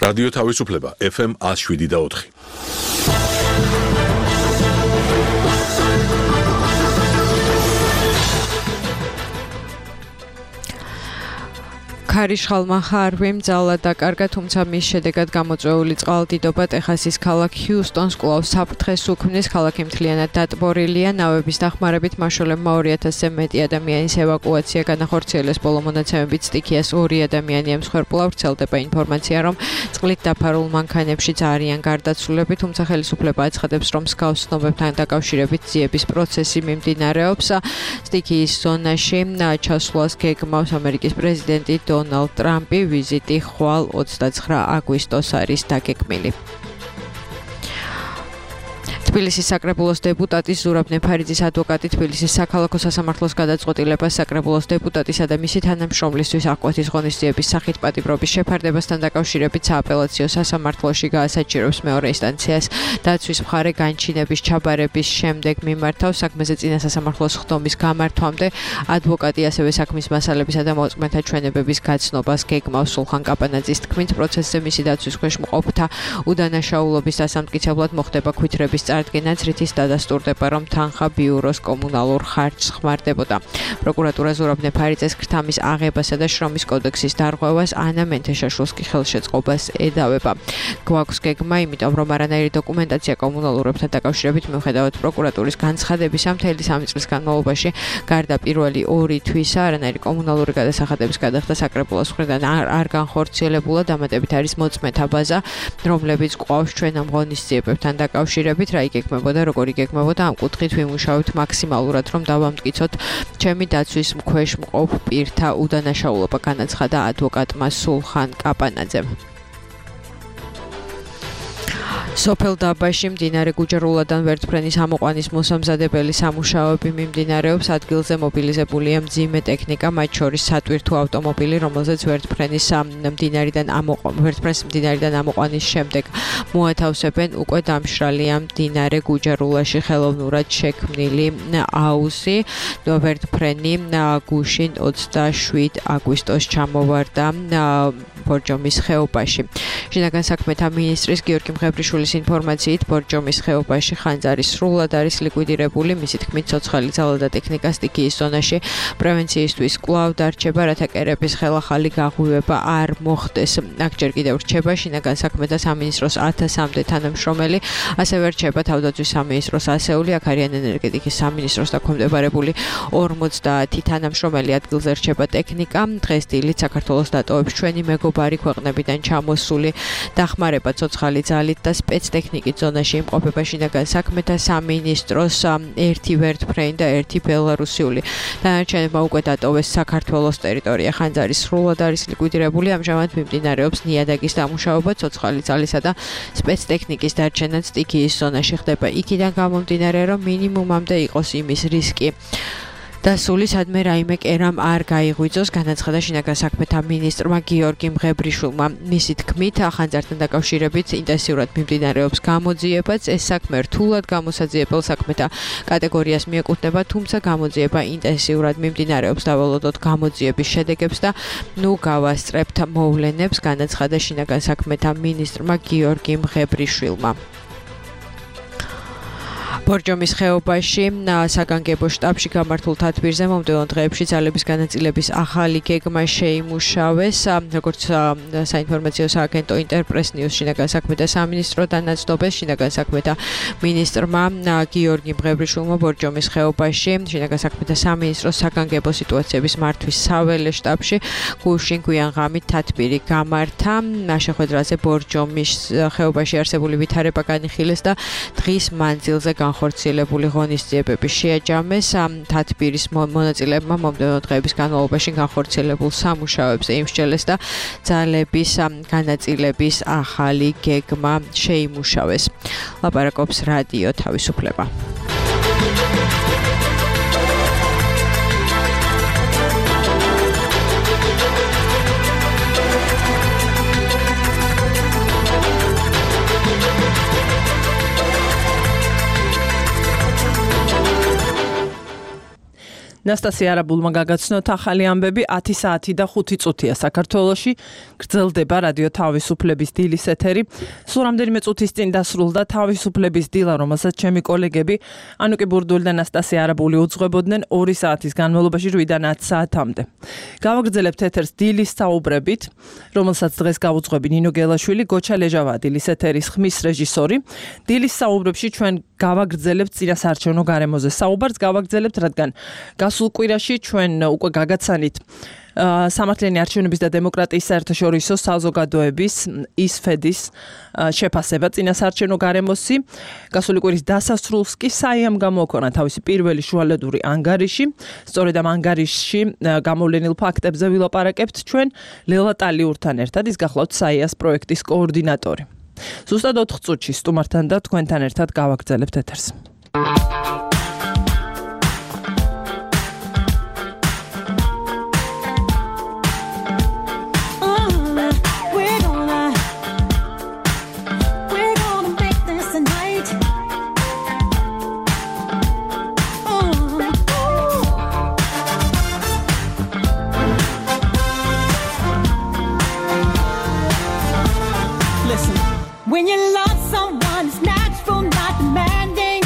რადიო თავისუფლება FM 107.4. ქარიშხალმა ხარვი მძალა დაკარგა, თუმცა მის შედეგად გამოწვეული წყალდიდობა ტეხასის ქალაქ ჰიუსტონს კვლავ საფრთხეს უქმნის. ქალაქი მთლიანად დატბორილია. ნავების დახმარებით მაშულებმა 2000-ზე მეტი ადამიანის ევაკუაცია განახორციელეს. ბოლო მონაცემებით სტიქიას 2 ადამიანი ემსხვერპლა. ვრცელდება ინფორმაცია, რომ წყლით დაფარულ მანქანებშიც არიან გარდაცვლილები, თუმცა ხელისუფლება აცხადებს, რომ მსგავს ცნობებთან დაკავშირებით ძიების პროცესი მიმდინარეობს. სტიქიის ზონაში ჩასვლას გეგმავს ამერიკის პრეზიდენტი დონალდ ტრამპი. ვიზიტი ხვალ 29 აგვისტოს არის დაგეგმილი. თბილისის საკრებულოს დეპუტატი ზურაბ ნეფარიძის ადვოკატი თბილისის საქალაქო სასამართლოს გადაწყვეტილებას საკრებულოს დეპუტატისა და მისი თანამშრომლისთვის აღკვეთის ღონისძიების სახით პატიმრობის შეფარდებასთან დაკავშირებით სააპელაციო სასამართლოში გაასაჭიროებს მეორე ინსტანციას. დაცვის მხარე განჩინების ჩაბარების შემდეგ მიმართავს. საქმეზე წინა სასამართლოს ხდომის გამართვამდე ადვოკატი ასევე საქმის მასალებისა და მოწმეთა ჩვენებების გაცნობას გეგმავს. სულხან კაპანაძის თქმით, პროცესზე მისი დაცვის ქვეშ მყოფთა უდანაშაულობის დასამტკიცებლად მოხდება ქვითრების წარდგენაც, რითიც დადასტურდება, რომ თანხა ბიუროს კომუნალურ ხარჯს ხმარდებოდა. პროკურატურა ზურაბ ნეფარიძეს ქრთამის აღებასა და შრომის კოდექსის დარღვევას, ანა მენთეშაშვილს კი ხელშეწყობას ედავება. გვაქვს გეგმა, იმიტომ რომ არანაირი დოკუმენტაცია კომუნალურებთან დაკავშირებით მიუხედავად პროკურატურის განცხადებისა მთელი 3 წლის განმავლობაში გარდა პირველი 2 თვისა არანაირი კომუნალური გადასახადების გადახდა საკრებულოს მხრიდან არ განხორციელებულა. დამატებით არის მოწმეთა ბაზა, რომლებიც ყვავს ჩვენ ამ ღონისძიებებთან დაკავშირებით. რა იგეგმებოდა, როგორ იგეგმებოდა, ამ კუთხით ვიმუშავებთ მაქსიმალურად, რომ დავამტკიცოთ ჩემი დაცვის ქვეშ მყოფ პირთა უდანაშაულობა, განაცხადა ადვოკატმა სულხან კაპანაძემ. სოფელ დაბაში მდინარე გუჯარულადან ვერტმფრენის ამოყვანის მოსამზადებელი სამუშაოები მიმდინარეობს. ადგილზე მობილიზებულია მძიმე ტექნიკა, მათ შორის სატვირთო ავტომობილი, რომელზეც ვერტმფრენის მდინარიდან ამოყვანის შემდეგ მოათავსებენ უკვე დამშრალია მდინარე გუჯარულაში ხელოვნურად შექმნილი აუზი. ვერტმფრენი გუშინ 27 აგვისტოს ჩამოვარდა ბორჯომის ხეობაში. შინაგან საქმეთა მინისტრის გიორგი მღებრიშვილის ინფორმაციით, ბორჯომის ხეობაში ხანძარი სრულად არის ლიკვიდირებული. მისი თქმით, ცოცხალი ძალა და ტექნიკა სტიქიის ზონაში პრევენციისთვის კვლავ დარჩება, რათა კერების ხელახალი გაღვივება არ მოხდეს. აქ ჯერ კიდევ რჩება შინაგან საქმეთა სამინისტროს 1000-მდე თანამშრომელი, ასევე რჩება თავდაცვის სამინისტროს ასეული, აქ არიან ენერგეტიკის სამინისტროს დაქვემდებარებული 50 თანამშრომელი. ადგილზე რჩება ტექნიკა. დღეს დილით საქართველოს დატოვებს ჩვენი მეგობარი ქვეყნებიდან ჩამოსული დახმარება ცოცხალი ძალით და სპეცტექნიკით. ზონაში იმყოფება შინაგან საქმეთა სამინისტროს 1 ვერტმფრენი და 1 ბელარუსიული. დანარჩენებმა უკვე დატოვეს საქართველოს ტერიტორია. ხანძარი სრულად არის ლიკვიდირებული. ამჟამად მიმდინარეობს ნიადაგის დამუშავება, ცოცხალი ძალისა და სპეცტექნიკის დარჩენაც სტიქიის ზონაში ხდება. იქიდან გამომდინარე, რომ მინიმუმამდე იყოს იმის რისკი დასული, სადმე რაიმე კერამ არ გაიღვიძოს, განაცხადა შინაგან საქმეთა მინისტრმა გიორგი მღებრიშვილმა. მისი თქმით, ხანძართან დაკავშირებით ინტენსიურად მიმდინარეობს გამოძიებაც. ეს საქმე რთულად გამოსაძიებელ საქმეთა კატეგორიას მიეკუთვნება, თუმცა გამოძიება ინტენსიურად მიმდინარეობს. დავალოდოთ გამოძიების შედეგებს და გავასწრებთ მოვლენებს, განაცხადა შინაგან საქმეთა მინისტრმა გიორგი მღებრიშვილმა. ბორჯომის ხეობაში საგანგებო შტაბში გამართულ თათბირზე მომდევნო დღეებში ძალების განაწილების ახალი გეგმა შეიმუშავეს. როგორც საინფორმაციო სააგენტო ინტერპრეს ნიუს შინაგან საქმეთა სამინისტროდან ნაცნობეს, შინაგან საქმეთა მინისტრმა გიორგი მღებრიშვილმა ბორჯომის ხეობაში შინაგან საქმეთა სამინისტროს საგანგებო სიტუაციების მართვის საველე შტაბში გუშინ გვიანღამით თათბირი გამართა. შეხვედრაზე ბორჯომის ხეობაში არსებული ვითარება განიხილეს და დღის მანძილზე განხორციელებული ღონისძიებები შეაჯამეს. თათბირის მონაწილეებმა მომდევნო დღეების განმავლობაში განხორციელებულ სამუშაოებზე იმსჯელეს და ძალების განაწილების ახალი გეგმა შეიმუშავეს. ლაპარაკობს რადიო თავისუფლება. ნასტასია არაბულმა გაგაცნოთ ახალი ამბები 10 საათი და 5 წუთია საქართველოში გრძელდება რადიო თავისუფლების დილის ეთერი. სულ რამდენიმე წუთის წინ დასრულდა თავისუფლების დილა, რომელსაც ჩემი კოლეგები ანუკი ბურდული და ნასტასია არაბული უძღვებოდნენ 2 საათის განმავლობაში 8-დან 10 საათამდე. გავაგრძელებთ ეთერს დილის საუბრებით, რომელსაც დღეს გავუძღვები ნინო გელაშვილი, გოჩა ლეჟავა დილის ეთერის ხმის რეჟისორი. დილის საუბრებში ჩვენ გავაგრძელებთ წინასაარჩევნო გარემოზე საუბარს, გავაგრძელებთ, რადგან გასულ კვირაში ჩვენ უკვე გაგაცანით სამართლიანი არჩევნების და დემოკრატიის საერთაშორისო საზოგადოების ისფედის შეფასება წინასაარჩევნო გარემოსი. გასული კვირის დასასრულს კი საიამ გამოუქვეყნა თავისი პირველი შუალედური ანგარიში. სწორედ ამ ანგარიშში გამოვლენილ ფაქტებზე ვილაპარაკებთ ჩვენ ლელა ტალიურთან ერთად, ის გახლავთ საიას პროექტის კოორდინატორი. ზუსტად 4 წუთში სტუმართან და თქვენთან ერთად გავაგრძელებთ ეთერს. When you love someone, it's natural, not demanding.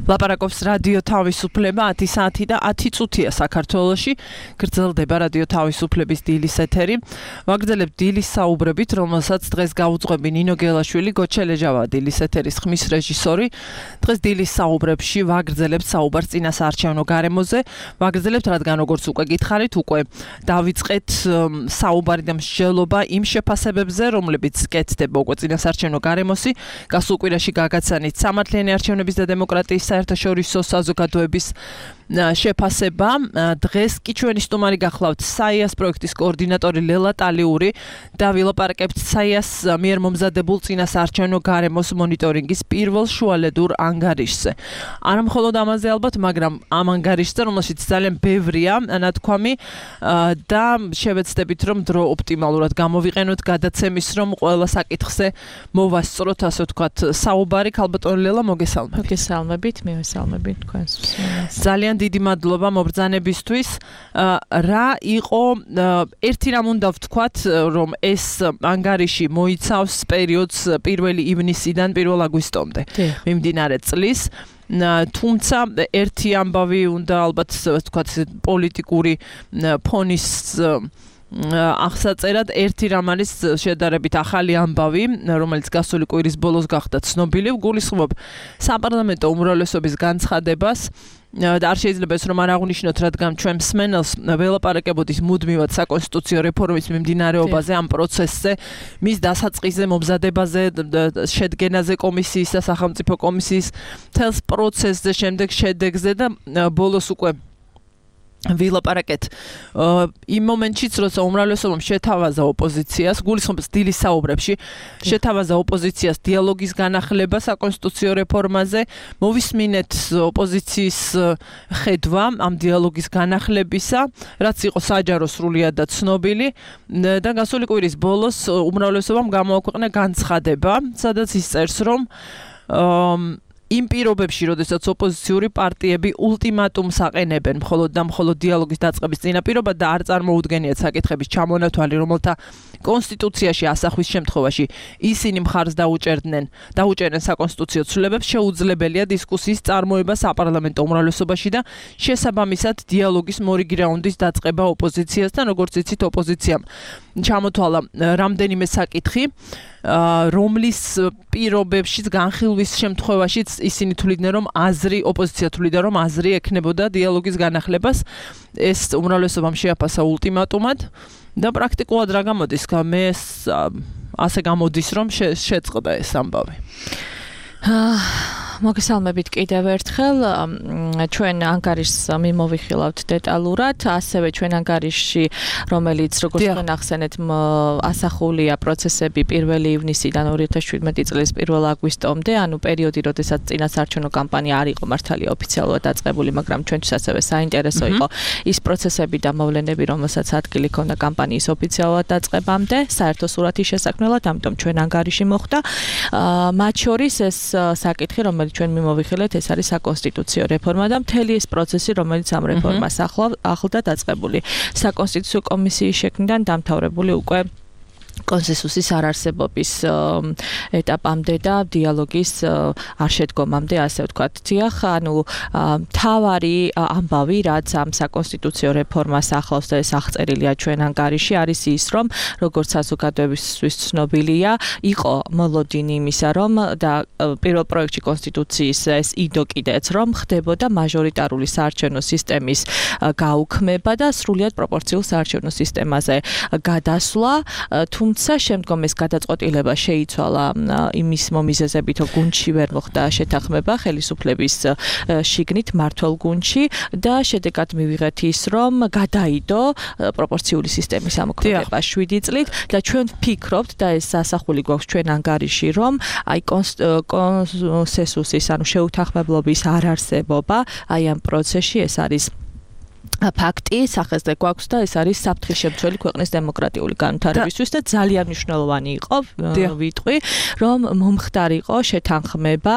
ლაპარაკობს რადიო თავისუფლება 10 საათი და 10 წუთია საქართველოში. გრძელდება რადიო თავისუფლების დილის ეთერი. ვაგრძელებთ დილის საუბრებით, რომელსაც დღეს გაუძღვები ნინო გელაშვილი, გოჩელეჟავა დილის ეთერის ხმის რეჟისორი. დღეს დილის საუბრებში ვაგრძელებთ საუბარს წინასაარჩევნო გარემოზე. ვაგრძელებთ, რადგან როგორც უკვე გითხარით, უკვე დავიწყეთ საუბარი და მსჯელობა იმ შეფასებებზე, რომლებიც კეთდება უკვე წინასაარჩევნო გარემოსი. გასულ კვირაში გაგაცანით სამართლიანი არჩევნების და დემოკრატიის საერთაშორისო საზოგადოების შეფასება. დღეს კი ჩვენი სტუმარი გახლავთ საიას პროექტის კოორდინატორი ლელა ტალიური და ვილაპარაკებთ საიას მიერ მომზადებულ წინასაარჩევნო გარემოს მონიტორინგის პირველ შუალედურ ანგარიშზე. არა მხოლოდ ამაზე ალბათ, მაგრამ ამ ანგარიშზე, რომელშიც ძალიან ბევრია ნათქვამი და შევეცდებით, რომ დრო ოპტიმალურად გამოვიყენოთ გადაცემის, რომ ყველა საკითხზე მოვასწროთ, ასე ვთქვათ, საუბარი. ქალბატონი ლელა, მოგესალმებით. მოგესალმებით, მივესალმებით თქვენს. ძალიან დიდი მადლობა მობრძანებისთვის. რა იყო ერთი რამ უნდა ვთქვათ, რომ ეს ანგარიში მოიცავს პერიოდს 1 ივნისიდან 1 აგვისტომდე მიმდინარე წლის. თუმცა ერთი ამბავი უნდა ალბათ ვთქვათ პოლიტიკური ფონის აღსაწერად ერთი რამ არის შედარებით ახალი ამბავი, რომელიც გასული კვირის ბოლოს გახდა ცნობილი. გულისხმობ საპარლამენტო უმრავლესობის განცხადებას. და არ შეიძლება ეს რომ არ აღნიშნოთ, რადგან ჩვენ მსმენელს ველაპარაკებოდის მუდმივად საკონსტიტუციო რეფორმის მიმდინარეობაზე, ამ პროცესზე, მის დასაწყისზე, მომზადებაზე, შედგენაზე კომისიის და სახელმწიფო კომისიის თელს პროცესზე, შემდეგ შედეგზე და ბოლოს უკვე ვილაპარაკეთ იმ მომენტშიც, როცა უმრავლესობამ შეთავაზა ოპოზიციას, გულისხმობს დილის საუბრებში, შეთავაზა ოპოზიციას დიალოგის განახლება საკონსტიტუციო რეფორმაზე, მოვისმინეთ ოპოზიციის ხედვა ამ დიალოგის განახლებისა, რაც იყო საჯარო სრულიად და ცნობილი და გასული კვირის ბოლოს უმრავლესობამ გამოაქვეყნა განცხადება, სადაც ის წერს, რომ იმ პირობებში, როდესაც ოპოზიციური პარტიები ულტიმატუმს აყენებენ მხოლოდ და მხოლოდ დიალოგის დაწყების წინაპირობად და არ წარმოუდგენიათ საკითხების ჩამონათვალი, რომელთა კონსტიტუციაში ასახვის შემთხვევაში ისინი მხარს დაუჭერენ საკონსტიტუციო ცვლილებებს, შეუძლებელია დისკუსიის წარმოება საპარლამენტო უმრავლესობაში და შესაბამისად დიალოგის მორიგი რაუნდის დაწყება ოპოზიციასთან, როგორც იცით, ოპოზიციამ ჩამოთვალა რამდენიმე საკითხი, რომლის პირობებშიც განხილვის შემთხვევაშიც ისინი თვლიდნენ, რომ ოპოზიცია თვლიდა, რომ აზრი ექნებოდა დიალოგის განახლებას. ეს უმრავლესობამ შეაფასა ულტიმატუმად და პრაქტიკულად რა გამოდის? მე ასე გამოდის, რომ შეწყდა ეს ამბავი. მოგესალმებით კიდევ ერთხელ. ჩვენ ანგარიშს მიმოვიხილავთ დეტალურად, ასევე ჩვენ ანგარიშში, რომელიც როგორც თქვენ ახსენეთ, ასახულია პროცესები 1 ივნისიდან 2017 წლის 1 აგვისტომდე, ანუ პერიოდი, როდესაც წინასაარჩევნო კამპანია არ იყო მართალია ოფიციალურად დაწყებული, მაგრამ ჩვენთვის ასევე საინტერესო იყო ის პროცესები და მოვლენები, რომელსაც ადგილი ჰქონდა კამპანიის ოფიციალურად დაწყებამდე, საერთო სურათის შესაქმნელად, ამიტომ ჩვენ ანგარიში მოხდა. მათ შორის ეს საკითხი, რომელიც ჩვენ მიმოვიხილეთ, ეს არის საკონსტიტუციო რეფორმა და მთელი ეს პროცესი, რომელიც ამ რეფორმას ახლდა დაწყებული. საკონსტიტუციო კომისიის შექმნიდან დამთავრებული უკვე კონსენსუსის არარსებობის ეტაპამდე და დიალოგის არ შედგომამდე, ასე ვთქვათ. დიახ, ანუ მთავარი ამბავი, რაც ამ საკონსტიტუციო რეფორმას ახლავს და ეს აღწერილია ჩვენ ანგარიში, არის ის, რომ როგორც საზოგადოებისთვის ცნობილია, იყო მოლოდინი იმისა, რომ და პირველ პროექტში კონსტიტუციის ეს იდო კიდეც, რომ ხდებოდა მაჟორიტარული საარჩევნო სისტემის გაუქმება და სრულიად პროპორციულ საარჩევნო სისტემაზე გადასვლა. თუმცა შემდგომ ეს გადაწყვეტილება შეიცვალა იმის მომიზეზებით, რომ გუნდში ვერ მოხდა შეთანხმება ხელისუფლების შიგნით მმართველ გუნდში და შედეგად მივიღეთ ის, რომ გადაიდო პროპორციული სისტემის ამოქმედება 7 წლით და ჩვენ ვფიქრობთ და ეს ასახული გვაქვს ჩვენ ანგარიში, რომ აი კონსენსუსის, ანუ შეუთანხმებლობის არ არსებობა აი ამ პროცესში ეს არის ფაქტი სახესზე გვაქვს და ეს არის საფრთხის შემცველი ქვეყნის დემოკრატიული განვითარებისთვის და ძალიან მნიშვნელოვანი იყო ვიტყვი რომ მომხდარიყო შეთანხმება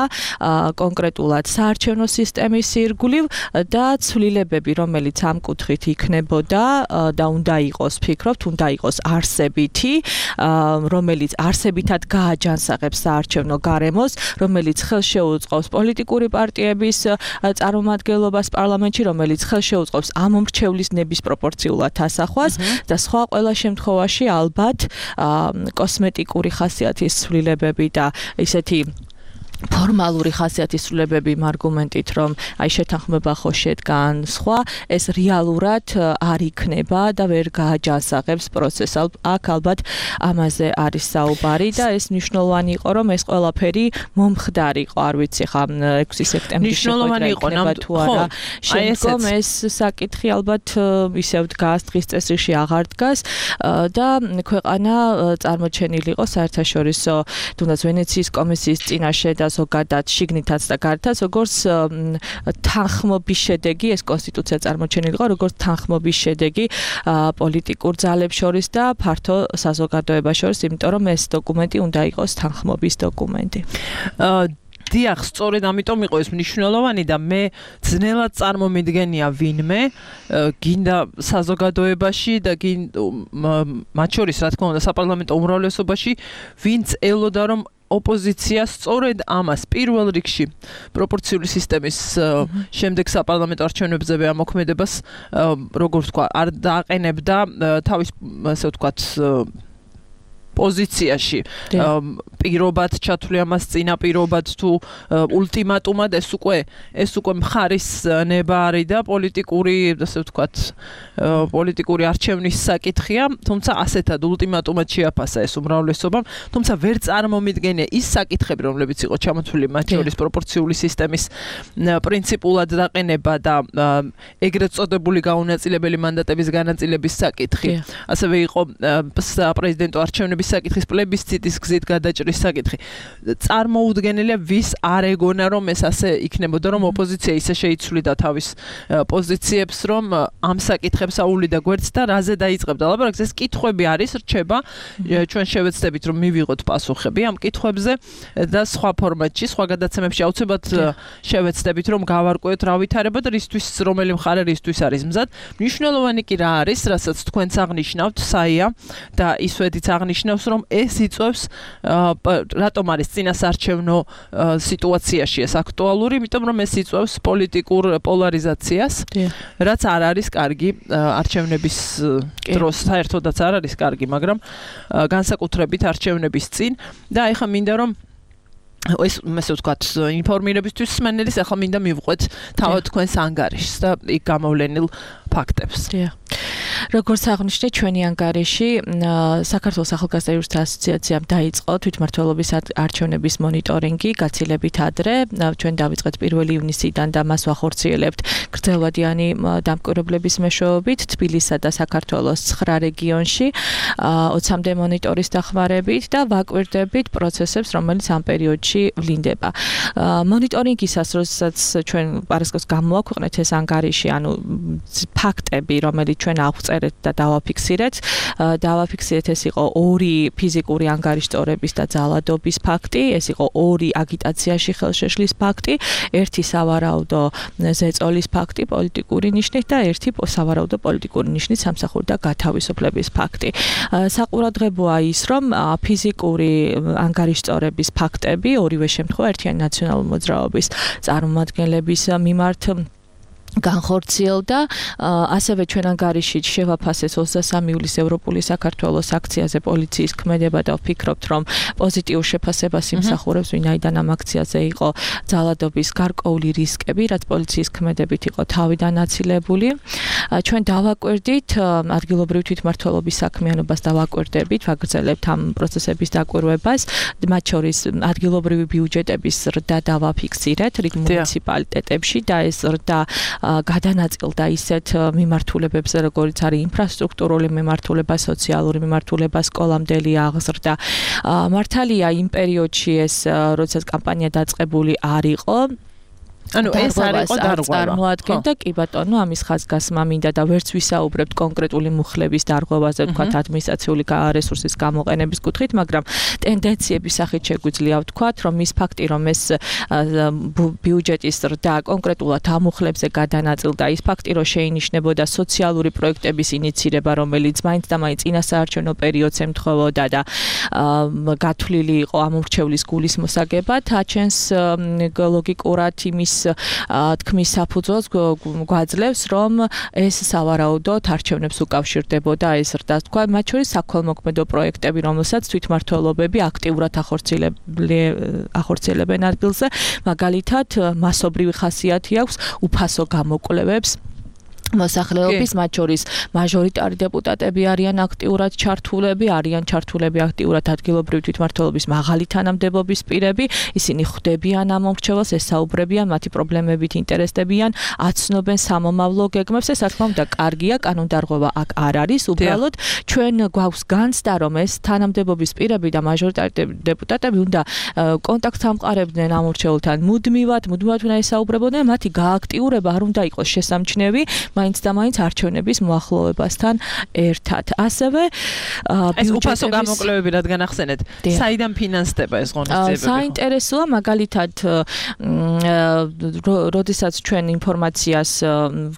კონკრეტულად საარჩევნო სისტემის ირგვლივ და ცვლილებები რომელიც ამ კუთხით იქნებოდა და უნდა იყოს ფიქრობთ უნდა იყოს არსებითი რომელიც არსებითად გააჯანსაღებს საარჩევნო გარემოს რომელიც ხელშეუწყობს პოლიტიკური პარტიების წარმომადგენლობას პარლამენტში რომელიც ხელშეუწყობს მომრჩევლის ნების პროპორციულად ასახვას და სხვა ყველა შემთხვევაში ალბათ კოსმეტიკური ხასიათის ცვლილებები და ისეთი ფორმალური ხასიათის ცვლილებები იმ არგუმენტით რომ აი შეთანხმება ხო შედგან სხვა ეს რეალურად არ იქნება და ვერ გააჯანსაღებს პროცესს აქ ალბათ ამაზე არის საუბარი და ეს მნიშვნელოვანი იყო რომ ეს ყველაფერი მომხდარიყო არ ვიცი ხა 6 სექტემბრის მნიშვნელოვანი იყო თუ არა შემდგომ ეს საკითხი ალბათ ისევ დგას დღის წესრიგში აღარ დგას და ქვეყანა წარმოჩენილი იყო საერთაშორისო თუნდაც ვენეციის კომისიის წინაშე და ზოგადად შიგნითაც და გარეთაც როგორც თანხმობის შედეგი ეს კონსტიტუცია წარმოჩენილი იყო როგორც თანხმობის შედეგი პოლიტიკურ ძალებს შორის და ფართო საზოგადოებას შორის იმიტომ რომ ეს დოკუმენტი უნდა იყოს თანხმობის დოკუმენტი დიახ, სწორედ ამიტომ იყო ეს მნიშვნელოვანი და მე ძნელად წარმომიდგენია ვინმე გინდა საზოგადოებაში და მათ შორის რა თქმა უნდა საპარლამენტო უმრავლესობაში ვინც ელოდა რომ ოპოზიცია სწორედ ამას პირველ რიგში პროპორციული სისტემის შემდეგ საპარლამენტო არჩევნებზე ამოქმედებას როგორ ვთქვა არ დააყენებდა თავის ასე ვთქვათ პოზიციაში პირობად ჩათვლი ამას წინა პირობად თუ ულტიმატუმად ეს უკვე მხარის ნება არის და პოლიტიკური ასე ვთქვათ პოლიტიკური არჩევნის საკითხია თუმცა ასეთად ულტიმატუმად შეაფასა ეს უმრავლესობამ თუმცა ვერ წარმომიდგენია ის საკითხები რომლებიც იყო ჩამოთვლილი მათ შორის პროპორციული სისტემის პრინციპულად დაყენება და ეგრეთ წოდებული გაუნაწილებელი მანდატების განაწილების საკითხი ასევე იყო საპრეზიდენტო არჩევნების საკითხის პლებისციტის გზით გადაჭრის საკითხი. წარმოუდგენელია ვის არ ეგონა რომ ეს ასე იქნებოდა რომ ოპოზიცია ისე შეიცვლიდა თავის პოზიციებს რომ ამ საკითხებს აუვლიდა გვერდს და რაზე დაიწყებდა ლაბორატორიას ეს კითხვები არის რჩება ჩვენ შევეცდებით რომ მივიღოთ პასუხები ამ კითხვებზე და სხვა ფორმატში სხვა გადაცემებში აუცილებლად შევეცდებით რომ გავარკვევთ რა ვითარება და რისთვის რომელი მხარე რისთვის არის მზად მნიშვნელოვანი კი რა არის რასაც თქვენც აღნიშნავთ საია და ისვედიც აღნიშნავს რომ ეს იწვევს რატომ არის წინასარჩევნო სიტუაციაში ეს აქტუალური, იმიტომ რომ ეს იწვევს პოლიტიკურ პოლარიზაციას, რაც არ არის კარგი არჩევნების დროს, საერთოდაც არ არის კარგი, მაგრამ განსაკუთრებით არჩევნების წინ და ეხლა მინდა რომ ეს ასე ვთქვათ ინფორმირებისთვის სმენელის ახლა მინდა მივყვეთ თავად თქვენს ანგარიშს და იქ გამოვლენილ ფაქტებს. როგორც აღნიშნე ჩვენი ანგარიში საქართველოს ახალგაზრდა იურისტთა ასოციაციამ დაიწყო თვითმმართველობის არჩევნების მონიტორინგი გაცილებით ადრე ჩვენ დავიწყეთ 1 ივნისიდან და მას ვახორციელებთ გრძელვადიანი დამკვირვებლების მეშვეობით თბილისსა და საქართველოს 9 რეგიონში 20-მდე მონიტორის დახმარებით და ვაკვირდებით პროცესებს რომელიც ამ პერიოდში ვლინდება მონიტორინგისას როდესაც ჩვენ პარასკევს გამოვაქვეყნეთ ეს ანგარიში ანუ ფაქტები რომელიც ჩვენ ავწერეთ და დავაფიქსირეთ ეს იყო 2 ფიზიკური ანგარიშწორების და ძალადობის ფაქტი ეს იყო 2 აგიტაციაში ხელშეშლის ფაქტი 1 სავარაუდო ზეწოლის ფაქტი პოლიტიკური ნიშნით და 1 სავარაუდო პოლიტიკური ნიშნით სამსახურიდან გათავისუფლების ფაქტი საყურადღებოა ის რომ ფიზიკური ანგარიშწორების ფაქტები ორივე შემთხვევა ერთიანი ნაციონალური მოძრაობის წარმომადგენლების მიმართ განხორციელდა ასევე ჩვენ ანგარიში შევაფასეს 23 ივლისს ევროპული საქართველოს აქციაზე პოლიციის ქმედება და ვფიქრობთ რომ პოზიტიურ შეფასებას იმსახურებს ვინაიდან ამ აქციაზე იყო ძალადობის გარკვეული რისკები რაც პოლიციის ქმედებით იყო თავიდან აცილებული ჩვენ დავაკვირდით ადგილობრივი თვითმმართველობის საქმიანობას დავაკვირდებით ვაგრძელებთ ამ პროცესების დაკვირვებას მათ შორის ადგილობრივი ბიუჯეტების ზრდა დავაფიქსირეთ რიგ მუნიციპალიტეტებში და ეს ზრდა გადანაწილდა ისეთ მიმართულებებზე, როგორიც არის ინფრასტრუქტურული მიმართულება, სოციალური მიმართულება, სკოლამდელი აღზრდა. მართალია იმ პერიოდში ეს, როდესაც კამპანია დაწყებული არ იყო, ანუ ეს არ იყო დარღვევა. წარმოადგენდა კი ბატონო, ამის ხაზგასმა მინდა და ვერც ვისაუბრებთ კონკრეტული მუხლების დარღვევაზე, ვთქვათ ადმინისტრაციული რესურსის გამოყენების კუთხით, მაგრამ ტენდენციების სახით შეგვიძლია ვთქვათ, რომ ის ფაქტი, რომ ეს ბიუჯეტის ზრდა კონკრეტულად ამ მუხლებზე გადანაწილდა, ის ფაქტი, რომ შეინიშნებოდა სოციალური პროექტების ინიცირება, რომელიც მაინც და მაინც წინასაარჩევნო პერიოდს ემთხვეოდა და გათვლილი იყო ამ ურჩევლის გულისმოსაგებად, აჩენს ლოგიკურად იმის თქმის საფუძველს გვაძლევს, რომ ეს სავარაუდოდ არჩევნებს უკავშირდებოდა ეს ზრდა, თქვა, მათ შორის საქველმოქმედო პროექტები, რომელსაც თვითმმართველობები აქტიურად ახორციელებენ ადგილზე, მაგალითად, მასობრივი ხასიათი აქვს უფასო გამოკვლევებს მოსახლეობის, მათ შორის მაჟორიტარი დეპუტატები არიან აქტიურად ჩართულები აქტიურად ადგილობრივი თვითმმართველობის მაღალი თანამდებობის პირები, ისინი ხვდებიან ამ მომრჩეველს, ესაუბრებიან, მათი პრობლემებით ინტერესდებიან, აცნობენ სამომავლო გეგმებს, ეს რა თქმა უნდა კარგია, კანონდარღვევა აქ არ არის, უბრალოდ ჩვენ გვაქვს განცდა, რომ ეს თანამდებობის პირები და მაჟორიტარი დეპუტატები უნდა კონტაქტს ამყარებდნენ ამ მომრჩეველთან მუდმივად უნდა ესაუბრებოდნენ, მათი გააქტიურება არ უნდა იყოს შესამჩნევი მაინც და მაინც არჩევნების მოახლოვებასთან ერთად. ასევე ეს უფასო გამოკვლევები რადგან ახსენეთ, საიდან ფინანსდება ეს ღონისძიებები? საინტერესოა, მაგალითად, როდესაც ჩვენ ინფორმაციას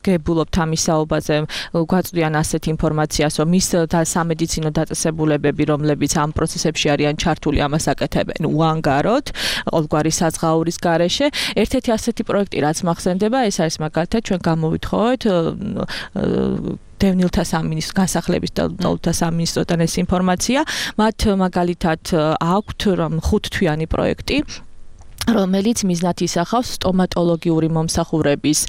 ვგებულობთ ამის საუბაზე, გვაწვდიან ასეთ ინფორმაციას, რომ ის სამედიცინო დაწესებულებები, რომლებიც ამ პროცესებში არიან ჩართული, ამას აკეთებენ უანგაროდ, ყოველგვარი საზღაურის გარეშე. ერთ-ერთი ასეთი პროექტი, რაც მახსენდება, ეს არის მაგალითად ჩვენ გამოვითხოვეთ დევნილთა სამინისტროს განსახლების და დევნილთა სამინისტროდან ეს ინფორმაცია, მათ მაგალითად აქვთ 5-თვიანი პროექტი, რომელიც მიზნად ისახავს სტომატოლოგიური მომსახურების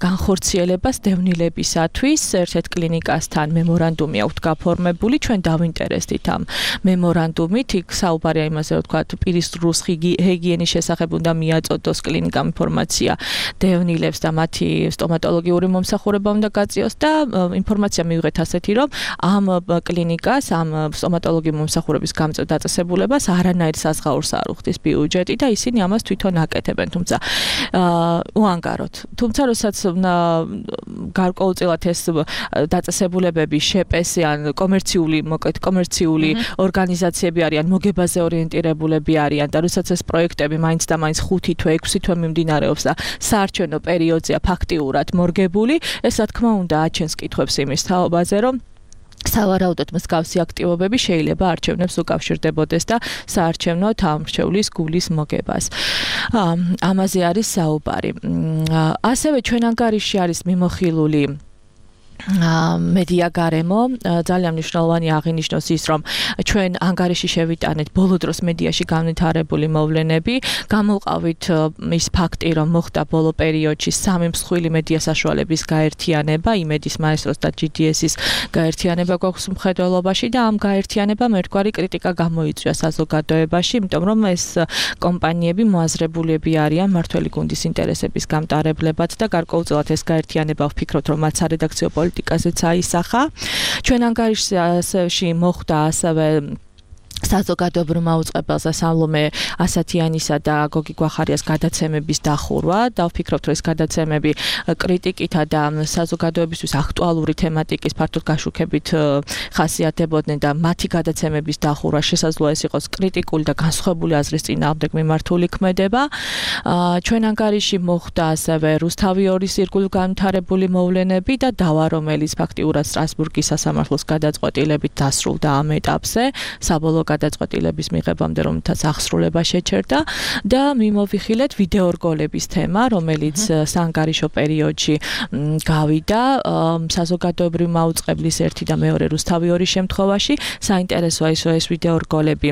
განხორციელებას დევნილებისათვის. ერთ-ერთ კლინიკასთან მემორანდუმი აქვს გაფორმებული, ჩვენ დავინტერესდით ამ მემორანდუმით, იქ საუბარია იმაზე, რომ თქვა პირის რუს ჰიგიენის შესახებ უნდა მიაწოდოს კლინიკამ ინფორმაცია დევნილებს და მათი სტომატოლოგიური მომსახურება უნდა გაწიოს და ინფორმაცია მივიღეთ ასეთი, რომ ამ კლინიკას, ამ სტომატოლოგიური მომსახურების გამწევ დაწესებულებას არანაირ საზღაურს არ უხდის ბიუჯეტი და ისინი ამას თვითონ აკეთებენ, თუმცა უანგაროდ. თუმცა როდესაც გარკვეულწილად ეს დაწესებულებები შეპესე ან კომერციული ორგანიზაციები არიან, მოგებაზე ორიენტირებულები არიან და როდესაც ეს პროექტები მაინც და მაინც 5 თვე, 6 თვე მიმდინარეობს და საარჩევნო პერიოდზეა ფაქტიურად მორგებული, ეს რა თქმა უნდა აჩენს კითხვებს იმის თაობაზე, რომ სავარაუდოდ მსგავსი აქტივობები შეიძლება არჩევნებს უკავშირდებოდეს და საარჩევნო თამრჩევლის გულის მოგებას. ამაზე არის საუბარი. ასევე ჩვენ ანგარიში არის მიმოხილული მედია გარემო, ძალიან მნიშვნელოვანი აღინიშნოს ის, რომ ჩვენ ანგარიში შევიტანეთ ბოლო დროს მედიაში განვითარებული მოვლენები, გამოვყავით ის ფაქტი, რომ მოხდა ბოლო პერიოდში 3 მსხვილი მედია საშუალების გაერთიანება, იმედის მაესტროს და GDS-ის გაერთიანება გვაქვს მხედველობაში და ამ გაერთიანებამ ერთგვარი კრიტიკა გამოიწვია საზოგადოებაში, იმიტომ რომ ეს კომპანიები მოაზრებულები არიან მმართველი გუნდის ინტერესების გამტარებლებად და გარკვეულწილად ეს გაერთიანება ვფიქრობთ, რომ მათ სარედაქციო პოლიტიკაზეც აისახა. ჩვენ ანგარიში მოხდა ასევე საზოგადოებრივ აუწყებელზე სალომე ასათიანისა და გოგი გვახარიას გადაცემების დახურვა და ვფიქრობთ, რომ ეს გადაცემები კრიტიკითა და საზოგადოებისთვის აქტუალური თემატიკის ფართოდ გაშუქებით ხასიათდებოდნენ და მათი გადაცემების დახურვა შესაძლოა ეს იყოს კრიტიკული და განსხვავებული აზრის წინააღმდეგ მიმართული ქმედება. ჩვენ ანგარიში მოხდა ასევე რუსთავი 2-ის ირგვლივ განვითარებული მოვლენები და დავა, რომელიც ფაქტიურად სტრასბურგის სასამართლოს გადაწყვეტილებით დასრულდა ამ ეტაპზე, საბოლოო გადაწყვეტილების მიღებამდე, რომელთაც აღსრულება შეჩერდა და მიმოვიხილეთ ვიდეორგოლების თემა, რომელიც საანგარიშო პერიოდში გავიდა საზოგადოებრივ მაუწყებლის 1 და 2 რუსთავი 2 შემთხვევაში. საინტერესოა ის, რომ ეს ვიდეორგოლები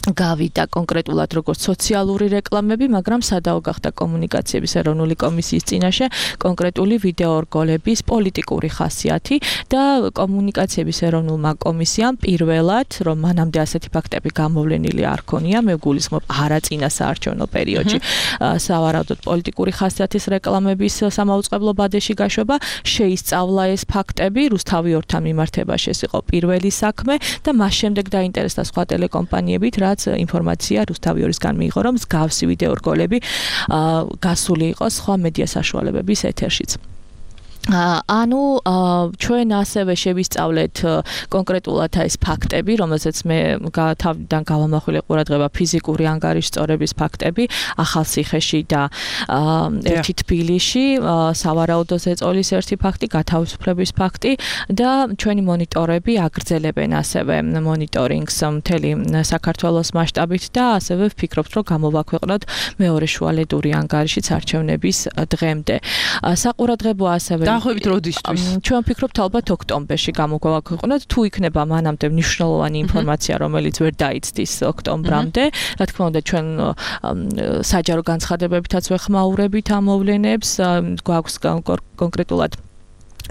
გავიდა კონკრეტულად როგორც სოციალური რეკლამები, მაგრამ სადაო გახდა კომუნიკაციების ეროვნული კომისიის წინაშე კონკრეტული ვიდეორგოლების პოლიტიკური ხასიათი და კომუნიკაციების ეროვნულმა კომისიამ პირველად, რომ მანამდე ასეთი ფაქტები გამოვლენილი არ ქონია, მე გულისხმობ არა წინა საარჩევნო პერიოდში, სავარაუდოდ პოლიტიკური ხასიათის რეკლამების სამაუწყებლო ბადეში გაშვება, შეისწავლა ეს ფაქტები რუსთავი 2-თან მიმართებაში, ეს იყო პირველი საქმე და მას შემდეგ დაინტერესდა სხვა ტელეკომპანიებით, რაც ინფორმაცია რუსთავიორისგან მიიღო, რომ მსგავსი ვიდეო რგოლები გასული იყო სხვა მედია საშუალებების ეთერშიც. ანუ ჩვენ ასევე შევისწავლეთ კონკრეტულად ეს ფაქტები, რომელზეც მე თავიდან გავამახვილე ყურადღება ფიზიკური ანგარიშწორების ფაქტები ახალციხეში და ერთი თბილისში, სავარაუდო ზეწოლის ერთი ფაქტი, გათავისუფლების ფაქტი და ჩვენი მონიტორები აგრძელებენ ასევე მონიტორინგს მთელი საქართველოს მასშტაბით და ასევე ვფიქრობთ, რომ გამოვაქვეყნოთ მეორე შუალედური ანგარიშიც არჩევნების დღემდე. საყურადღებო ასევე დაახლოებით როდისთვის? ჩვენ ვფიქრობთ ალბათ ოქტომბერში გამოვაქვეყნოთ, თუ იქნება მანამდე მნიშვნელოვანი ინფორმაცია, რომელიც ვერ დაიცდის ოქტომბრამდე. რა თქმა უნდა, ჩვენ საჯარო განცხადებებითაც ვეხმაურებით ამ მოვლენებს, გვაქვს კონკრეტულად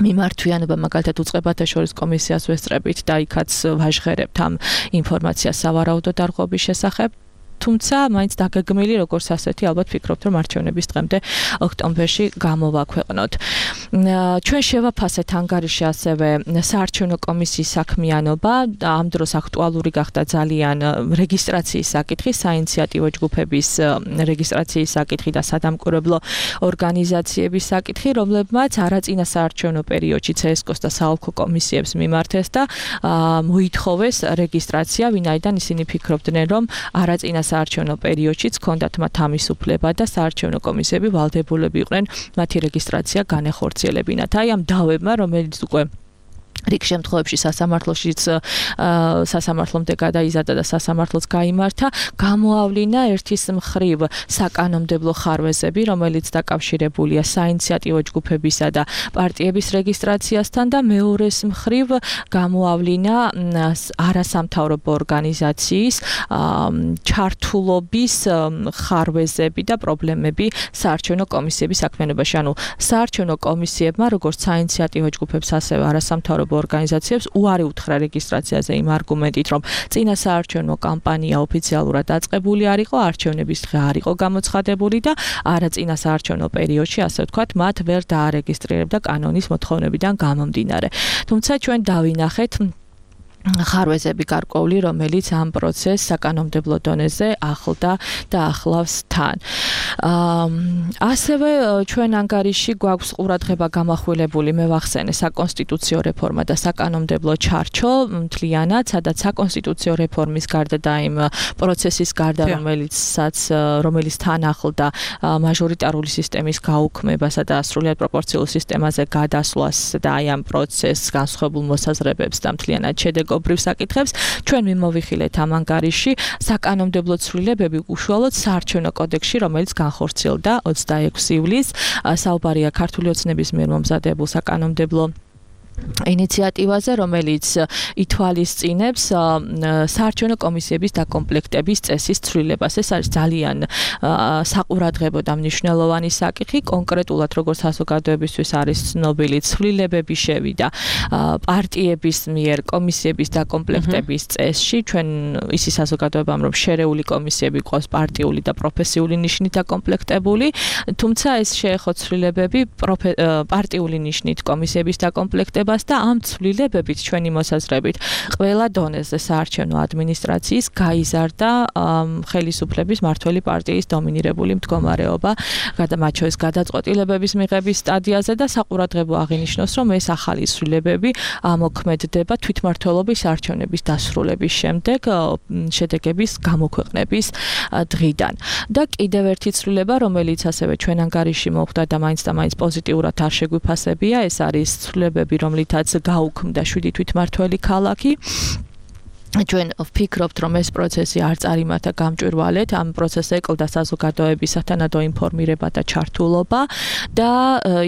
მიმართვიანობა მაგალითად უწყებათა შორის კომისიას ვესწრებით და იქაც ვაჟღერებთ ამ ინფორმაციას სავარაუდო დარღვევის შესახებ. თუმცა მაინც დაგეგმილი როგორც ასეთი ალბათ ვფიქრობთ რომ არჩევნების დღემდე ოქტომბერში გამოვაქვეყნოთ. ჩვენ შევაფასეთ ანგარიში ასევე საარჩევნო კომისიის საქმიანობა და ამ დროს აქტუალური გახდა ძალიან რეგისტრაციის საკითხი, საინიციატივო ჯგუფების რეგისტრაციის საკითხი და სადამკვირვებლო ორგანიზაციების საკითხი, რომლებმაც არაწინა საარჩევნო პერიოდში CSKOS და საოლქო კომისიებს მიმართეს და მოითხოვეს რეგისტრაცია, ვინაიდან ისინი ფიქრობდნენ რომ არაწინა საარჩევნო პერიოდშიც ჰქონდათ მათ ამისუფლება და საარჩევნო კომისიები ვალდებულები იყვნენ მათი რეგისტრაცია განეხორციელებინათ. აი ამ დავებმა, რომელიც უკვე რიგ შემთხვევებში სასამართლომდე გადაიზარდა და სასამართლოც გაიმართა, გამოავლინა ერთის მხრივ საკანონმდებლო ხარვეზები, რომელიც დაკავშირებულია საინიციატივო ჯგუფებისა და პარტიების რეგისტრაციასთან და მეორეს მხრივ გამოავლინა არასამთავრობო ორგანიზაციის ჩართულობის ხარვეზები და პრობლემები საარჩევნო კომისიების საქმიანობაში. ანუ საარჩევნო კომისიებმა, როგორც საინიციატივო ჯგუფებს, ასევე არასამთავრობო ორგანიზაციებს უარი უთხრა რეგისტრაციაზე იმ არგუმენტით, რომ წინა საარჩევნო კამპანია ოფიციალურად დაწყებული არ იყო, არჩევნების დღე არ იყო გამოცხადებული და არაწინა საარჩევნო პერიოდში, ასე ვთქვათ, მათ ვერ დაარეგისტრირებდა კანონის მოთხოვნებიდან გამომდინარე. თუმცა ჩვენ დავინახეთ ხარვეზები გარკვეული, რომელიც ამ პროცესს საკანონმდებლო დონეზე ახლდა და ახლავს თან. ასევე ჩვენ ანგარიში გვაქვს ყურადღება გამახვილებული, მე ვახსენე, საკონსტიტუციო რეფორმა და საკანონმდებლო ჩარჩო მთლიანად, სადაც საკონსტიტუციო რეფორმის გარდა და იმ პროცესის გარდა, რომელიც თან ახლდა მაჟორიტარული სისტემის გაუქმებასა და სრულიად პროპორციულ სისტემაზე გადასვლას და აი ამ პროცესს განსხვავებულ მოსაზრებებს და მთლიანად შედეგობრივ საკითხებს, ჩვენ მიმოვიხილეთ ამ ანგარიში საკანონმდებლო ცვლილებები უშუალოდ საარჩევნო კოდექსში, რომელიც განხორციელდა 26 ივლისს. საუბარია ქართული ოცნების მიერ მომზადებულ საკანონმდებლო ინიციატივაზე, რომელიც ითვალისწინებს საარჩევნო კომისიების დაკომპლექტების წესის ცვლილებას. ეს არის ძალიან საყურადღებო და მნიშვნელოვანი საკითხი. კონკრეტულად, როგორც საზოგადოებისთვის არის ცნობილი, ცვლილებები შევიდა პარტიების მიერ კომისიების დაკომპლექტების წესში. ჩვენ ისი საზოგადოებამ, რომ შერეული კომისიები ყავს პარტიული და პროფესიული ნიშნით დაკომპლექტებული, თუმცა ეს შეეხო ცვლილებები პარტიული ნიშნით კომისიების დაკომპლექტებას და ამ ცვლილებებით ჩვენი მოსაზრებით ყველა დონეზე საარჩევნო ადმინისტრაციის გაიზარდა ხელისუფლების მმართველი პარტიის დომინირებული მდგომარეობა, მათ შორის გადაწყვეტილებების მიღების სტადიაზე და საყურადღებო აღინიშნოს, რომ ეს ახალი ცვლილებები ამოქმედდება თვითმმართველობის არჩევნების დასრულების შემდეგ შედეგების გამოქვეყნების დღიდან. და კიდევ ერთი ცვლილება, რომელიც ასევე ჩვენ ანგარიში მოხვდა და მაინც და მაინც პოზიტიურად არ შეგვიფასებია, ეს არის ცვლილებები, რომლითაც გაუქმდა 7 თვითმმართველი ქალაქი. ჩვენ ვფიქრობთ, რომ ეს პროცესი არ წარიმართა გამჭვირვალედ, ამ პროცესს ეკლდა საზოგადოების სათანადო ინფორმირება და ჩართულობა და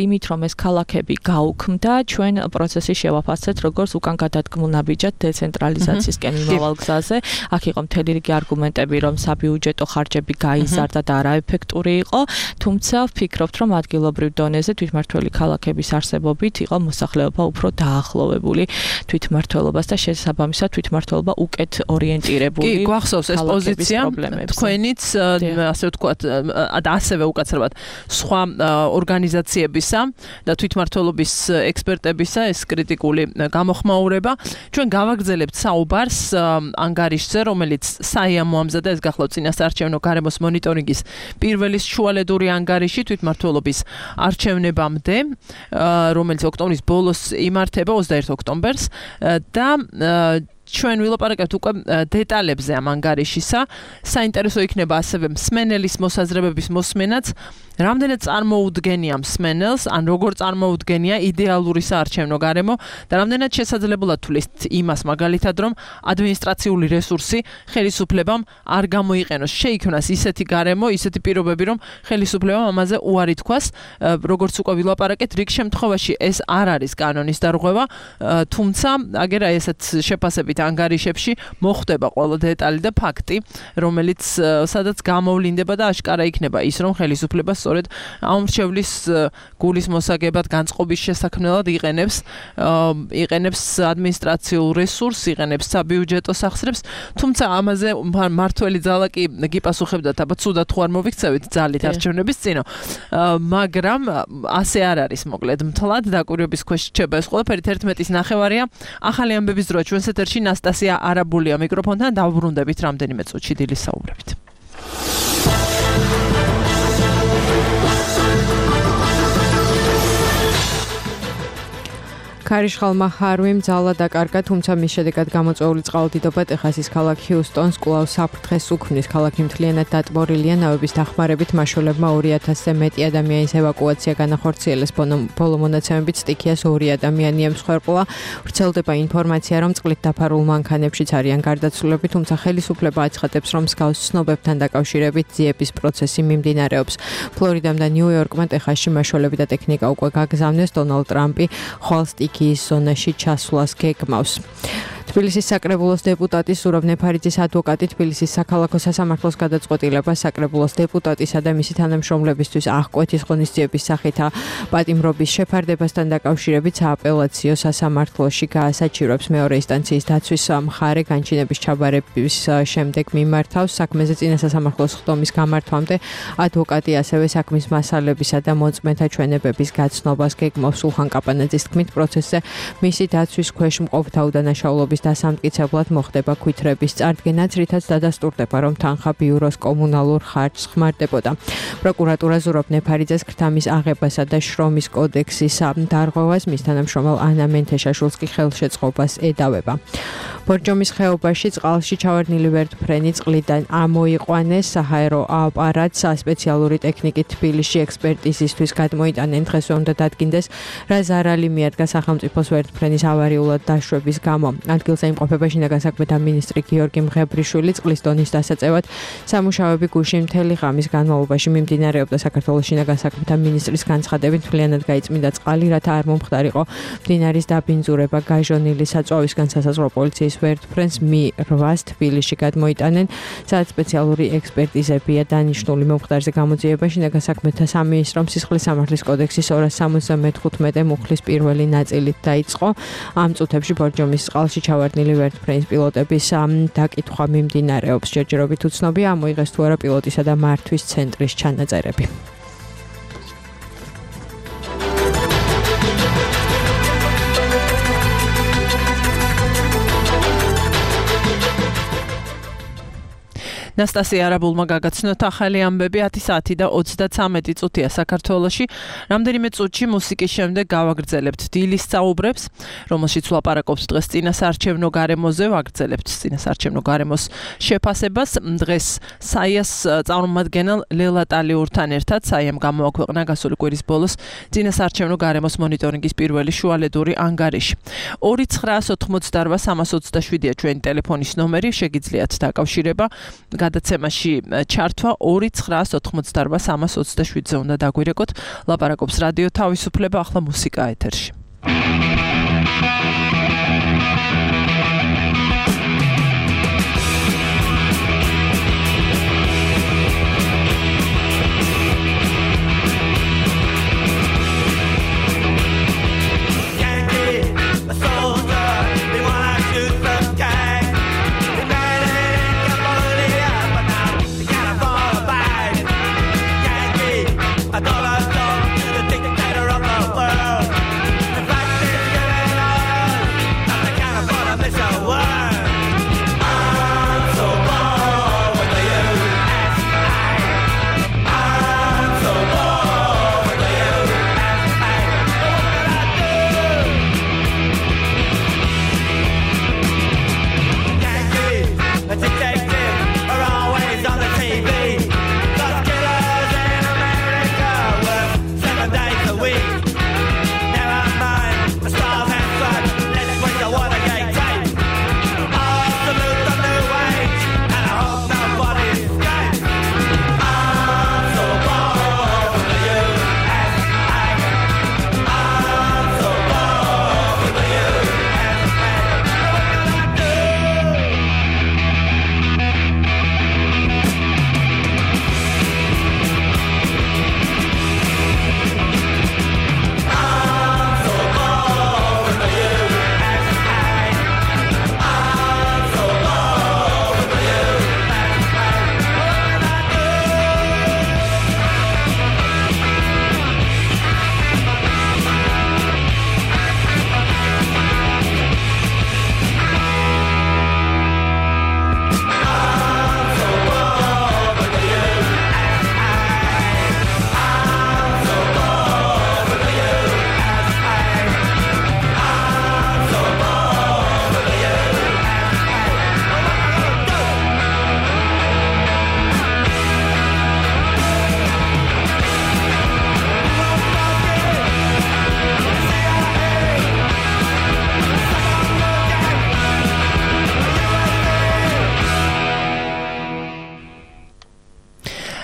იმით, რომ ეს ქალაქები გაუქმდა, ჩვენ პროცესი შევაფასეთ, როგორც უკან გადადგმულ ნაბიჯად დეცენტრალიზაციისკენ მიმავალ გზაზე. აქ იყო მთელი რიგი არგუმენტები, რომ საბიუჯეტო ხარჯები გაიზარდა და არაეფექტური იყო, თუმცა ვფიქრობთ, რომ ადგილობრივ დონეზე თვითმმართველი ქალაქების არსებობით იყო მოსახლეობა უფრო დაახლოვებული თვითმმართველობას და შესაბამისად თვითმმართველობა უკეთ ორიენტირებული. კი, გვახსოვს ეს პოზიცია თქვენიც ასე ვთქვათ, ასევე უკაცრავად სხვა ორგანიზაციებისა და თვითმმართველობის ექსპერტებისა ეს კრიტიკული გამოხმაურება. ჩვენ გავაგრძელებთ საუბარს ანგარიშზე, რომელიც საიამ მოამზადა, ეს გახლავთ წინასაარჩევნო გარემოს მონიტორინგის პირველი შუალედური ანგარიში თვითმმართველობის არჩევნებამდე, რომელიც ოქტომბრის ბოლოს იმართება 21 ოქტომბერს და ჩვენ ვილაპარაკებთ უკვე დეტალებზე ამ ანგარიშისა. საინტერესო იქნება ასევე მსმენელის მოსაზრებების მოსმენაც, რამდენად წარმოუდგენია მსმენელს, ან როგორ წარმოუდგენია იდეალური საარჩევნო გარემო და რამდენად შესაძლებლად თulis იმას მაგალითად, რომ ადმინისტრაციული რესურსი ხელისუფლებამ არ გამოიყენოს. შეიქმნას ისეთი გარემო, ისეთი პირობები, რომ ხელისუფლებამ ამაზე უარი თქვას. როგორც უკვე ვილაპარაკეთ, რიგ შემთხვევაში ეს არ არის კანონის დარღვევა, თუმცა აგერა ესეთ შეფასებით ანგარიშებში მოხდება ყველა დეტალი და ფაქტი, რომელიც სადაც გამოვლინდება და აშკარა იქნება ის, რომ ხელისუფლება სწორედ ამ მრჩევლის გულის მოსაგებად განწყობის შესაქმნელად იყენებს ადმინისტრაციულ რესურსს, იყენებს საბიუჯეტო სახსრებს, თუმცა ამაზე მართველი ძალა კი გიპასუხებდა, აბა ცუდად თუ არ მოვიქცევით ძალით არჩევნების წინო, მაგრამ ასე არ არის, მოკლედ მთლად დაკვირვების ქვეშ რჩება ეს ყველაფერი. 11:09 ახალი ამბების დრო ჩვენს ეთერში ნასტასია არაბულია მიკროფონთან, დავბრუნდებით რამდენიმე წუთში დილის საუბრებით. ქარიშხალმა ჰარვიმ ძალა დაკარგა, თუმცა მის შედეგად გამოწვეული წყალდიდობა ტეხასის ქალაქ ჰიუსტონს კვლავ საფრთხეს უქმნის. ქალაქი მთლიანად დატბორილია, ნავების დახმარებით მაშველებმა 2000-ზე მეტი ადამიანის ევაკუაცია განახორციელეს. ბოლო მონაცემებით სტიქიას 2 ადამიანი ემსხვერპლა. ვრცელდება ინფორმაცია, რომ წყლით დაფარულ მანქანებშიც არიან გარდაცვლილები, თუმცა ხელისუფლება აცხადებს, რომ მსგავს ცნობებთან დაკავშირებით ძიების პროცესი მიმდინარეობს. ფლორიდამ და ნიუ-იორკმა ტეხასში მაშველები და ტექნიკა უკვე გაგზავნეს. დონალდ ტრამპი ხვალ სტიქიის ზონაში ჩასვლას გეგმავს. თბილისის საკრებულოს დეპუტატი სურაბ ნეფარიძის ადვოკატი თბილისის საქალაქო სასამართლოს გადაწყვეტილებას საკრებულოს დეპუტატისა და მისი თანამშრომლებისთვის აღკვეთის ღონისძიების სახით პატიმრობის შეფარდებასთან დაკავშირებით სააპელაციო სასამართლოში გაასაჩივრებს. მეორე ინსტანციის დაცვის მხარე განჩინების ჩაბარების შემდეგ მიმართავს საქმეზე წინა სასამართლოს ხდომის გამართვამდე. ადვოკატი ასევე საქმის მასალებისა და მოწმეთა ჩვენებების გაცნობას გეგმავს. სულხან კაპანაძის თქმით, პროცესზე მისი დაცვის ქვეშ მყოფთა უდანაშაულობის დასამტკიცებლად მოხდება ქვითრების წარდგენაც, რითაც დადასტურდება, რომ თანხა ბიუროს კომუნალურ ხარჯს ხმარდებოდა. პროკურატურა ზურაბ ნეფარიძეს ქრთამის აღებასა და შრომის კოდექსის დარღვევას, მის თანამშრომელ ანა მენთეშაშვილს კი ხელშეწყობას ედავება. ბორჯომის ხეობაში წყალში ჩავარდნილი ვერტმფრენი წყლიდან ამოიყვანეს. საჰაერო აპარატს სპეციალური ტექნიკით თბილისში ექსპერტიზისთვის გადმოიტანენ. დღესვე უნდა დადგინდეს, რა ზარალი მიადგა სახელმწიფოს ვერტმფრენის ავარიულად დაშვების გამო. ადგილზე იმყოფება შინაგან საქმეთა მინისტრი გიორგი მღებრიშვილი. წყლის დონის დასაწევად სამუშაოები გუშინ მთელი ღამის განმავლობაში მიმდინარეობდა. საქართველოს შინაგან საქმეთა მინისტრის განცხადებით, მთლიანად გაიწმინდა წყალი, რათა არ მომხდარიყო მდინარის დაბინძურება. გაჟონილი საწვავისგან სასაზღვრო პოლიციის ვერტმფრენს Mi-8 თბილისში გადმოიტანენ, სადაც სპეციალური ექსპერტიზებია დანიშნული. მომხდარზე გამოძიება შინაგან საქმეთა სამინისტრომ სისხლის სამართლის კოდექსის 275 მუხლის პირველი ნაწილით დაიწყო. ამ წუთებში ბორჯომის წყალში ჩავარდნილი ვერტმფრენის პილოტების დაკითხვა მიმდინარეობს. ჯერჯერობით უცნობია, ამოიღეს თუ არა პილოტისა და მართვის ცენტრის ჩანაწერები. ნასტასია არაბულმა გაგაცნოთ ახალი ამბები 10 საათი და 33 წუთია საქართველოში. რამდენიმე წუთში მუსიკის შემდეგ გავაგრძელებთ დილის საუბრებს, რომელშიც ვლაპარაკობთ დღეს წინასაარჩევნო გარემოზე, ვაგრძელებთ წინასაარჩევნო გარემოს შეფასებას. დღეს საიას წარმომადგენელ ლელა ტალიურთან ერთად საიამ გამოაქვეყნა გასული კვირის ბოლოს წინასაარჩევნო გარემოს მონიტორინგის პირველი შუალედური ანგარიში. 2988327-ია ჩვენი ტელეფონის ნომერი, შეგიძლიათ დაკავშირება. გადაცემაში ჩართვა 2988327-ზე უნდა დაგვირეკოთ. ლაპარაკობს რადიო თავისუფლება, ახლა მუსიკა ეთერში.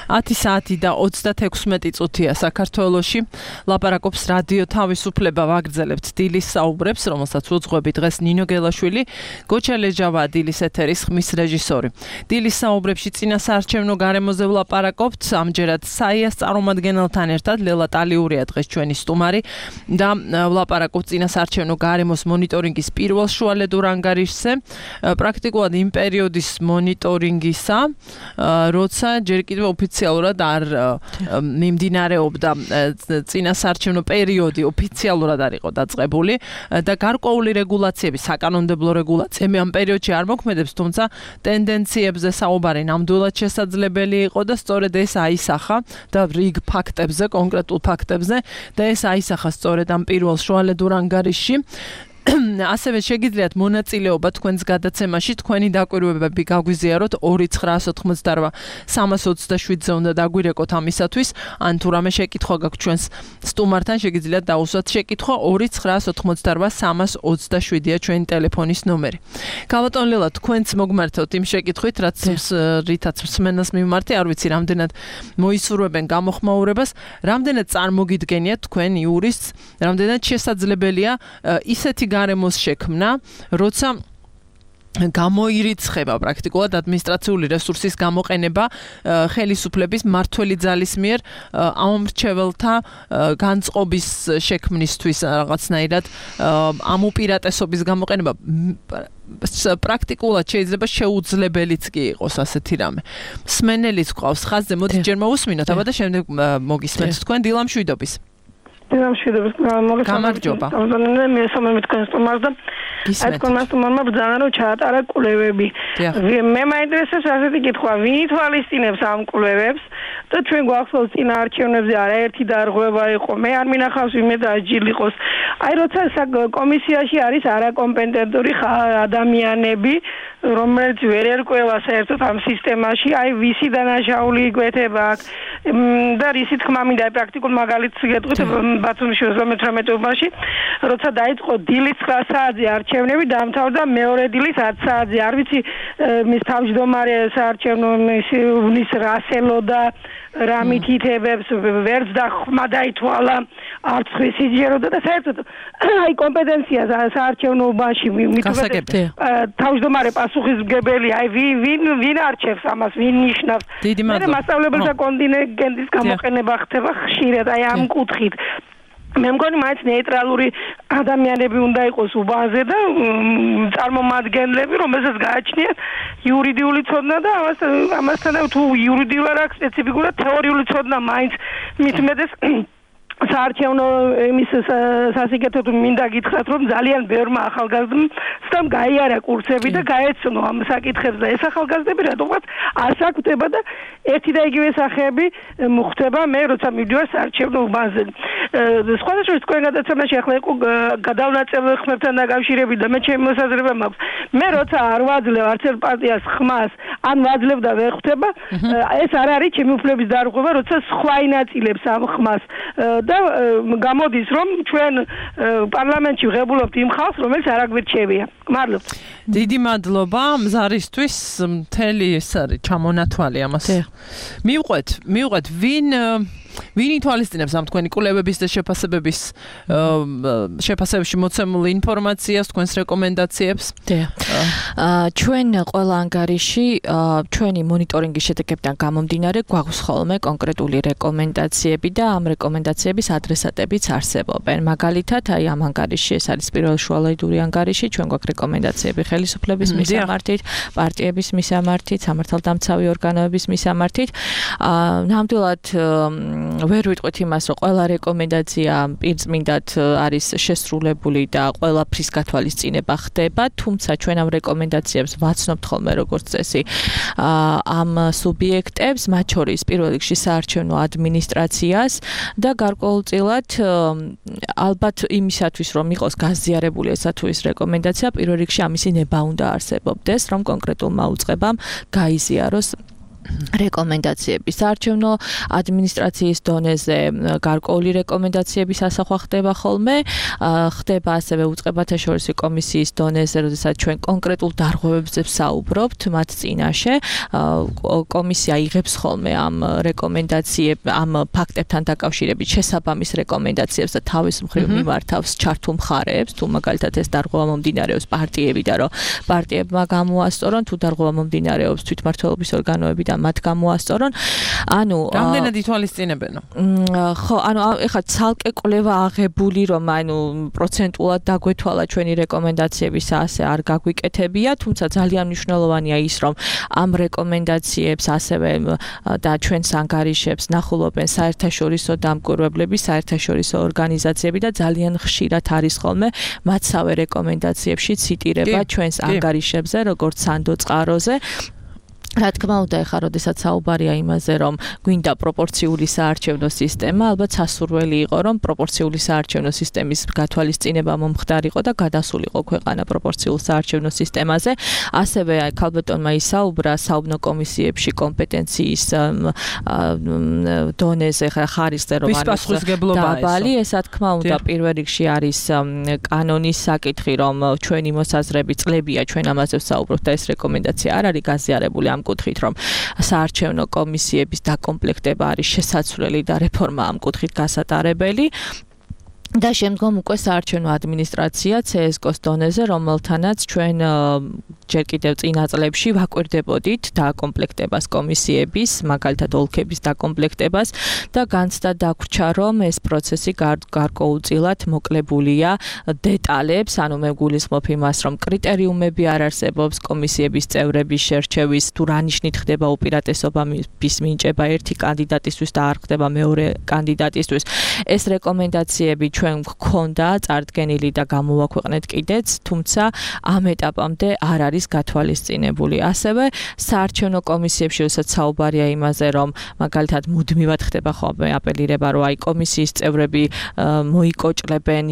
10 საათი და 36 წუთია საქართველოში. ლაპარაკობს რადიო თავისუფლება, ვაგრძელებთ დილის საუბრებს, რომელსაც უძღვები დღეს ნინო გელაშვილი, გოჩა ლეჯავაა დილის ეთერის ხმის რეჟისორი. დილის საუბრებში წინასაარჩევნო გარემოზე ვლაპარაკობთ, ამჯერად საიას წარმომადგენელთან ერთად ლელა ტალიურია დღეს ჩვენი სტუმარი და ვლაპარაკობთ წინასაარჩევნო გარემოს მონიტორინგის პირველ შუალედურ ანგარიშზე. პრაქტიკულად იმ პერიოდის მონიტორინგისა, როცა ჯერ კიდევ ოფიციალურად არ მიმდინარეობდა წინასაარჩევნო პერიოდი ოფიციალურად არ იყო დაწყებული და გარკვეული რეგულაციები, საკანონმდებლო რეგულაციები ამ პერიოდში არ მოქმედებს, თუმცა ტენდენციებზე საუბარი ნამდვილად შესაძლებელი იყო და სწორედ ეს აისახა და რიგ ფაქტებზე, კონკრეტულ ფაქტებზე და ეს აისახა სწორედ ამ პირველ შუალედურ ანგარიშში. ასევე შეგიძლიათ მონაწილეობა თქვენს გადაცემაში, თქვენი დაკვირვებები გაგვიზიაროთ 2988 327-ზე უნდა დაგვირეკოთ ამისათვის, ან თუ რამე შეკითხვა გაქვთ ჩვენს სტუმართან, შეგიძლიათ დაუსვათ შეკითხვა 2988 327-ია ჩვენი ტელეფონის ნომერი. გაბატონ ლელა, თქვენც მოგმართოთ იმ შეკითხვით, რითაც მსმენელს მიმართი, არ ვიცი, რამდენად მოისურვებენ გამოხმაურებას, რამდენად წარმოგიდგენიათ თქვენ იურისტს, რამდენად შესაძლებელია ისეთი გარემოს შექმნა, როცა გამოირიცხება პრაქტიკულად ადმინისტრაციული რესურსის გამოყენება ხელისუფლების მმართველი ძალის მიერ ამომრჩეველთა განწყობის შექმნისთვის რაღაცნაირად ამ უპირატესობის გამოყენება პრაქტიკულად შეიძლება შეუძლებელიც კი იყოს ასეთი რამე. მსმენელიც გვყავს ხაზზე, მოდით ჯერ მოусმინოთ, აბა და შემდეგ მოგისმენთ თქვენ დილამშვიდობის. გამარჯობა. მე თქვენს სტუმარს და თქვენს სტუმარმა ბრძანა რომ ჩაატარა კვლევები. მე მაინტერესებს ასეთი კითხვა, ვინ ითვალისწინებს ამ კვლევებს და ჩვენ გვახსოვს წინა არჩევნებზე არაერთი დარღვევა იყო. მე არ მინახავს ვინმე დააჯილიყოს. აი როცა კომისიაში არის არაკომპეტენტური ადამიანები, რომელიც ვერ ერკვევა საერთოდ ამ სისტემაში, აი ვისი დანაშაული იკვეთება აქ და რისი თქმა მინდა პრაქტიკულ მაგალითს გეტყვით ბათუმში 18-ში, როცა დაიწყო დილის 9 საათზე არჩევნები, დაამთავრდა მეორე დილის 10 საათზე. არ ვიცი მის თავმჯდომარე საარჩევნო მის რასელოდა რა მითითებებს, ვერც და ხმა დაითვალა, არც ხისიჯეროდა და საერთოდ აი კომპეტენცია საარჩევნობაში მithumetes თავმჯდომარე პასუხისმგებელი, აი ვინ არჩევს ამას, ვინ ნიშნავს. მე მასწავლებელთა კონტინგენტის გამოყენება ხდება ხშირად აი ამ კუთხით. მე მგონი მაინც ნეიტრალური ადამიანები უნდა იყოს უბანზე და წარმომადგენლები, რომელსაც გააჩნიათ იურიდიული ცოდნა და ამასთან თუ იურიდიულად აქვს სპეციფიკურად თეორიული ცოდნა მაინც მით უმეტეს საარჩევნო იმის სასიკეთოდ მინდა გითხრათ, რომ ძალიან ბევრმა ახალგაზრდამ გაიარა კურსები და გაეცნო ამ საკითხებს და ეს ახალგაზრდები რატომღაც არ საკვდება და ერთი და იგივე სახეები მოხდება მე როცა მივდივარ საარჩევნო უბანზე. სხვადასხვა თქვენ გადაცემაში ახლა იყო გადავნაწილებული ხმებთან დაკავშირებით და მე ჩემი მოსაზრება მაქვს. მე როცა არ ვაძლევ არც ერთ პარტიას ხმას, ან ვაძლევ და ვერ ხვდება, ეს არ არის ჩემი უფლების დარღვევა, როცა სხვა ინაწილებს ამ ხმას. და გამოდის რომ ჩვენ პარლამენტში ვღებულობთ იმ ხალხს, რომელიც არ აგვირჩევია. მადლობთ. დიდი მადლობა მზარისთვის, მთელი ეს არის ჩამონათვალი ამას. მივყვეთ ვინ ითვალისწინებს ამ თქვენი კვლევების და შეფასებებში მოცემულ ინფორმაციას, თქვენს რეკომენდაციებს? ჩვენ ყველა ანგარიში ჩვენი მონიტორინგის შედეგებიდან გამომდინარე გვაქვს ხოლმე კონკრეტული რეკომენდაციები და ამ რეკომენდაციების ადრესატებიც არსებობენ. მაგალითად, აი ამ ანგარიში ეს არის პირველ შუალედური ანგარიში, ჩვენ გვაქვს რეკომენდაციები ხელისუფლების მისამართით, პარტიების მისამართით, სამართალდამცავი ორგანოების მისამართით. ნამდვილად ვერ ვიტყვით იმას, რომ ყველა რეკომენდაცია პირწმინდად არის შესრულებული და ყველაფრის გათვალისწინება ხდება, თუმცა ჩვენ ამ რეკომენდაციებს ვაცნობთ ხოლმე როგორც წესი ამ სუბიექტებს, მათ შორის პირველ რიგში საარჩევნო ადმინისტრაციას და გარკვეულწილად ალბათ იმისათვის რომ იყოს გაზიარებული ესა თუ ის რეკომენდაცია, პირველ რიგში ამისი ნება უნდა არსებობდეს, რომ კონკრეტულმა უწყებამ გაიზიაროს რეკომენდაციები საარჩევნო ადმინისტრაციის დონეზე გარკვეული რეკომენდაციების ასახვა ხდება ხოლმე, ხდება ასევე უწყებათა შორისი კომისიის დონეზე, როდესაც ჩვენ კონკრეტულ დარღვევებზე ვსაუბრობთ მათ წინაშე, კომისია იღებს ხოლმე ამ რეკომენდაციებს, ამ ფაქტებთან დაკავშირებით შესაბამის რეკომენდაციებს და თავის მხრივ მიმართავს ჩართულ მხარეებს, თუ მაგალითად ეს დარღვევა მომდინარეობს პარტიებიდან, რომ პარტიებმა გამოასწორონ, თუ დარღვევა მომდინარეობს თვითმმართველობის ორგანოები და მათ გამოასწორონ. ანუ რამდენად ითვალისწინებენო? ხო, ანუ ეხლა ცალკე კვლევა აღებული, რომ ანუ პროცენტულად დაგვეთვალა ჩვენი რეკომენდაციების ასე არ გაგვიკეთებია, თუმცა ძალიან მნიშვნელოვანია ის, რომ ამ რეკომენდაციებს ასევე და ჩვენს ანგარიშებს ნახულობენ საერთაშორისო დამკვირვებლები, საერთაშორისო ორგანიზაციები და ძალიან ხშირად არის ხოლმე მათსავე რეკომენდაციებში ციტირება ჩვენს ანგარიშებზე, როგორც სანდო წყაროზე. რა თქმა უნდა, ეხლა როდესაც საუბარია იმაზე, რომ გვინდა პროპორციული საარჩევნო სისტემა, ალბათ სასურველი იყო, რომ პროპორციული საარჩევნო სისტემის გათვალისწინება მომხდარიყო და გადასულიყო ქვეყანა პროპორციულ საარჩევნო სისტემაზე. ასევე ქალბატონმა ისაუბრა საუბნო კომისიებში კომპეტენციის დონეზე ხარისზე, რომ არის დაბალი, ეს რა თქმა უნდა, პირველ რიგში არის კანონის საკითხი, რომ ჩვენი მოსაზრები წლებია ჩვენ ამაზე ვსაუბრობთ და ეს რეკომენდაცია არ არის გაზიარებული ამ კუთხით, რომ საარჩევნო კომისიების დაკომპლექტება არის შესაძლებელი და რეფორმა ამ კუთხით გასატარებელი. და შემდგომ უკვე საარჩევნო ადმინისტრაცია CSGO-ს დონეზე, რომელთანაც ჩვენ ჯერ კიდევ წინა წლებში ვაკვირდებოდით დაკომპლექტებას კომისიების, მაგალითად ოლქების დაკომპლექტებას და განცდა დაგვრჩა, რომ ეს პროცესი გარკვეულწილად მოკლებულია დეტალებს, ანუ მე გულისხმობ იმას, რომ კრიტერიუმები არ არსებობს კომისიების წევრების შერჩევის, თუ რა ნიშნით ხდება უპირატესობის მინიჭება ერთი კანდიდატისთვის და არ ხდება მეორე კანდიდატისთვის. ეს რეკომენდაციები ჩვენ გვქონდა წარდგენილი და გამოვაქვეყნეთ კიდეც, თუმცა ამ ეტაპამდე არ არის გათვალისწინებული. ასევე საარჩევნო კომისიებში, როდესაც საუბარია იმაზე, რომ მაგალითად მუდმივად ხდება ხოლმე აპელირება, რომ აი კომისიის წევრები მოიკოჭლებენ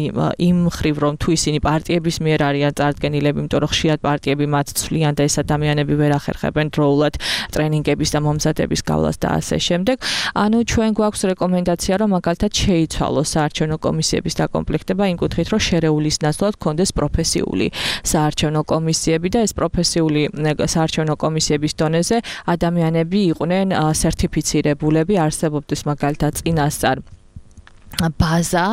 იმ მხრივ, რომ თუ ისინი პარტიების მიერ არიან წარდგენილები, იმიტომ რომ ხშირად პარტიები მათ ცვლიან და ეს ადამიანები ვერ ახერხებენ დროულად ტრენინგების და მომზადების გავლას და ასე შემდეგ. ანუ ჩვენ გვაქვს რეკომენდაცია, რომ მაგალითად შეიცვალოს საარჩევნო კომისიების დაკომპლექტება იმ კუთხით, რომ შერეულის ნაცვლად კონდეს პროფესიული საარჩევნო კომისიები და ეს პროფესიული საარჩევნო კომისიების დონეზე ადამიანები იყვნენ სერტიფიცირებულები, არსებობდეს მაგალითად წინასწარ ბაზა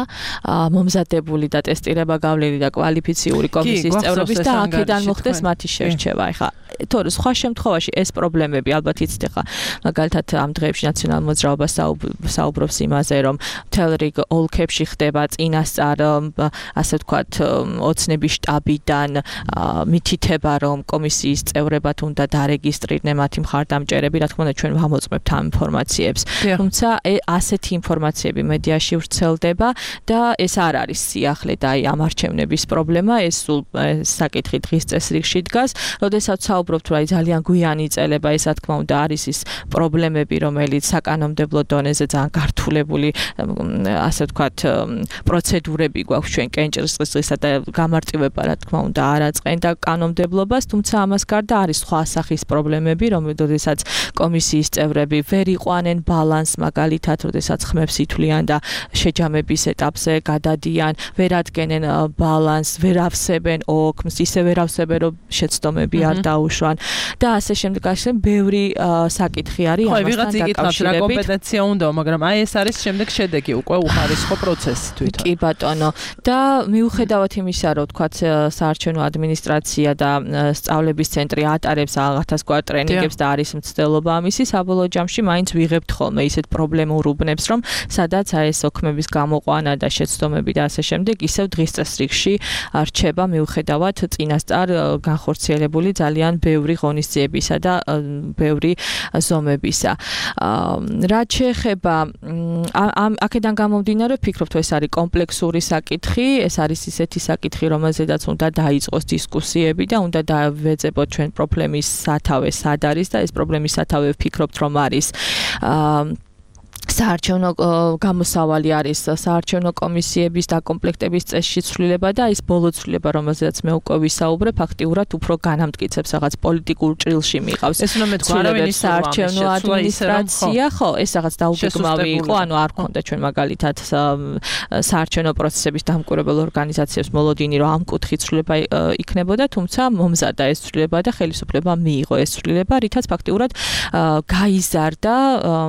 მომზადებული და ტესტირება გავლილი და კვალიფიციური კომისიის წევრების და აქედან მოხდეს მათი შერჩევა. ეხლა თორე სხვა შემთხვევაში ეს პრობლემები ალბათ იცით, ეხლა მაგალითად ამ დღეებში ნაციონალურ მოძრაობას საუბრობს იმაზე, რომ მთელ რიგ ოლქებში ხდება წინასწარ ასე ვთქვათ ოცნების შტაბიდან მითითება, რომ კომისიის წევრებად უნდა დარეგისტრირდნენ მათი მხარდამჭერები, რა თქმა უნდა ჩვენ ვამოწმებთ ამ ინფორმაციებს. თუმცა ასეთი ინფორმაციები მედიაში ვრცელდება და ეს არ არის სიახლე და აი ამ არჩევნების პრობლემა, ეს სულ საკითხი დღის წესრიგში დგას. როდესაც საუბრობთ, რომ აი ძალიან გვიანი წელება, ეს რა თქმა უნდა არის ის პრობლემები, რომელიც საკანონმდებლო დონეზე ძალიან გართულებული, ასე ვთქვათ, პროცედურები გვაქვს ჩვენ კენჭისყრისა და გამარტივება, რა თქმა უნდა, არ აწყენდა კანონმდებლობას, თუმცა ამას გარდა არის სხვა სახის პრობლემები, როდესაც კომისიის წევრები ვერ იყვანენ ბალანსს, მაგალითად, როდესაც ხმებს ითვლიან და შეჯამების ეტაპზე გადადიან, ვერ ადგენენ ბალანსს, ვერ ავსებენ ოქმს, ისე ვერ ავსებენ, რომ შეცდომები არ დაუშვან და ასე შემდეგ. ასე ბევრი საკითხი არის ამასთან ვიღაც იკითხავს რა კომპეტენცია უნდა, მაგრამ აი ეს არის შემდეგ შედეგი, უკვე უხარისხო პროცესი თვითონ. კი ბატონო. და მიუხედავად იმისა, რომ თქვათ საარჩევნო ადმინისტრაცია და სწავლების ცენტრი ატარებს ათასგვარ ტრენინგებს და არის მცდელობა ამისი, საბოლოო ჯამში მაინც ვიღებთ ხოლმე ისეთ პრობლემურ უბნებს, რომ სადაც აი ეს ოქმების გამოყვანა და შეცდომები და ასე შემდეგ ისევ დღის წესრიგში რჩება მიუხედავად წინასწარ განხორციელებული ძალიან ბევრი ღონისძიებისა და ბევრი ზომებისა. რაც შეეხება აქედან გამომდინარე, ვფიქრობ, ეს არის კომპლექსური საკითხი, ეს არის ისეთი საკითხი, რომელზედაც უნდა დაიწყოს დისკუსიები და უნდა დავეძებოთ ჩვენ პრობლემის სათავე სად არის და ეს პრობლემის სათავე ვფიქრობთ, რომ არის საარჩევნო გამოსავალი არის საარჩევნო კომისიების დაკომპლექტების წესში ცვლილება და ის ბოლო ცვლილება, რომელზეც მე უკვე ვისაუბრე, ფაქტიურად უფრო განამტკიცებს რაღაც პოლიტიკურ ჭრილში მიყავს. ეს უნდა მეთქვა, არავინ საარჩევნო ადმინისტრაცია, ხო, ეს რაღაც დაუგეგმავი იყო, ანუ არ ქონდა ჩვენ მაგალითად საარჩევნო პროცესების დამკვირვებელ ორგანიზაციებს მოლოდინი, რომ ამ კუთხით ცვლილება იქნებოდა, თუმცა მომზადა ეს ცვლილება და ხელისუფლება მიიღო ეს ცვლილება, რითაც ფაქტიურად გაიზარდა,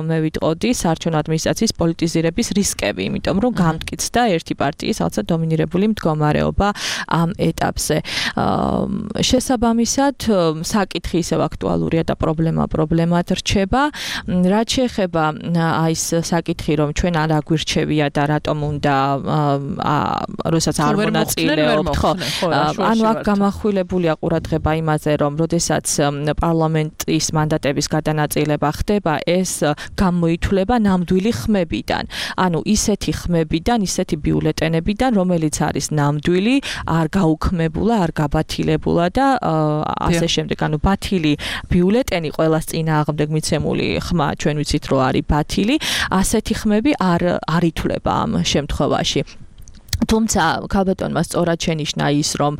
მე ვიტყოდი, საარჩევნო ადმინისტრაციის პოლიტიზირების რისკები, იმიტომ რომ გამტკიცდა ერთი პარტიის რაღაცა დომინირებული მდგომარეობა ამ ეტაპზე. შესაბამისად, საკითხი ისევ აქტუალურია და პრობლემად რჩება. რაც შეეხება ის საკითხი, რომ ჩვენ არ აგვირჩევია და რატომ უნდა როდესაც არ მონაწილეობთ, ხო, ანუ აქ გამახვილებულია ყურადღება იმაზე, რომ როდესაც პარლამენტის მანდატების გადანაწილება ხდება, ეს გამოითვლება ნამდვილი ხმებიდან. ანუ ისეთი ხმებიდან, ისეთი ბიულეტენებიდან, რომელიც არის ნამდვილი, არ გაუქმებულა, არ გაბათილებულა და ასე შემდეგ. ანუ ბათილი ბიულეტენი ყველას წინააღმდეგ მიცემული ხმა, ჩვენ ვიცით, რომ არის ბათილი, ასეთი ხმები არ ითვლება ამ შემთხვევაში. თუმცა ქალბატონმა სწორად შენიშნა ის, რომ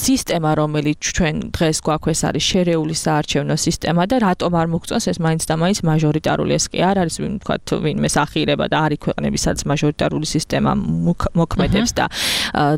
სისტემა, რომელიც ჩვენ დღეს გვაქვს, ეს არის შერეული საარჩევნო სისტემა და რატომ არ მოგწონს ეს მაინც და მაინც მაჟორიტარული, ეს კი არ არის ვთქვათ, ვინმე სახირება და არის ქვეყნები, სადაც მაჟორიტარული სისტემა მოქმედებს და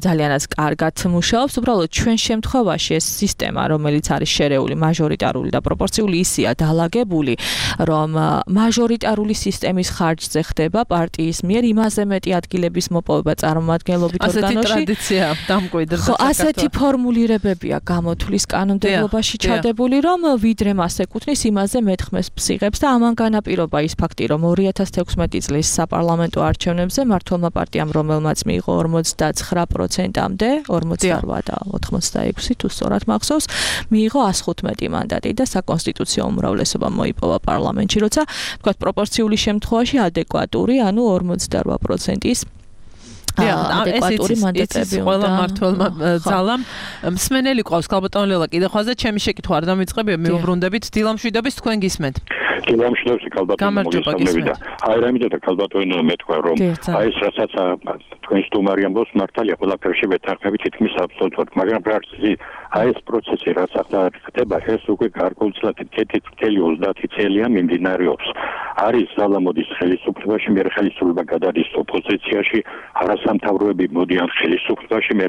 ძალიანაც კარგად მუშაობს. უბრალოდ ჩვენ შემთხვევაში ეს სისტემა, რომელიც არის შერეული, მაჟორიტარული და პროპორციული, ისეა დალაგებული, რომ მაჟორიტარული სისტემის ხარჯზე ხდება პარტიის მიერ იმაზე მეტი ადგილების მოპოვება წარმომადგენლობით ორგანოში. ასეთი ტრადიცია დამკვიდრდა საქართველოს. ასეთი ფორმულირებებია გამოთვლის კანონმდებლობაში ჩადებული, რომ ვიდრე მას ეკუთვნის, იმაზე მეტ ხმებს ფსიღებს და ამან განაპირობა ის ფაქტი, რომ 2016 წლის საპარლამენტო არჩევნებზე მმართველმა პარტიამ, რომელმაც მიიღო 49%-მდე, 48 და 86 თუ სწორად მახსოვს, მიიღო 115 მანდატი და საკონსტიტუციო უმრავლესობა მოიპოვა პარლამენტში, როცა თქვათ პროპორციული შემთხვევაში ადეკვატური, ანუ 48%-ის ადეკვატური მანდატები უნდა. ყველა მმართველმა ძალამ მსმენელი ყავს ქალბატონ ლელა კიდე ხვალზე ჩემი შეკითხვა არ დამიწყებია მიუბრუნდებით დილამშვიდობის თქვენ გისმენთ. დილამშვიდობის ქალბატონო მოგესალმებით. აი რამე და ქალბატონო მეთქვა რომ აი ეს რასაც თქვენ სტუმარი ამბობს მართალია ყველაფერში ვეთანხმებით თითქმის აბსოლუტურად, მაგრამ პრაქტიკაში აი ეს პროცესი რაც ახლა ხდება ეს უკვე გარკვეულწილად 30 წელია მიმდინარეობს. არის ზალა მოდის ხელისუფლებაში, მე ხელისუფლება გადადის ოპოზიციაში, არასამთავროები მოდიან ხელისუფლებაში, მე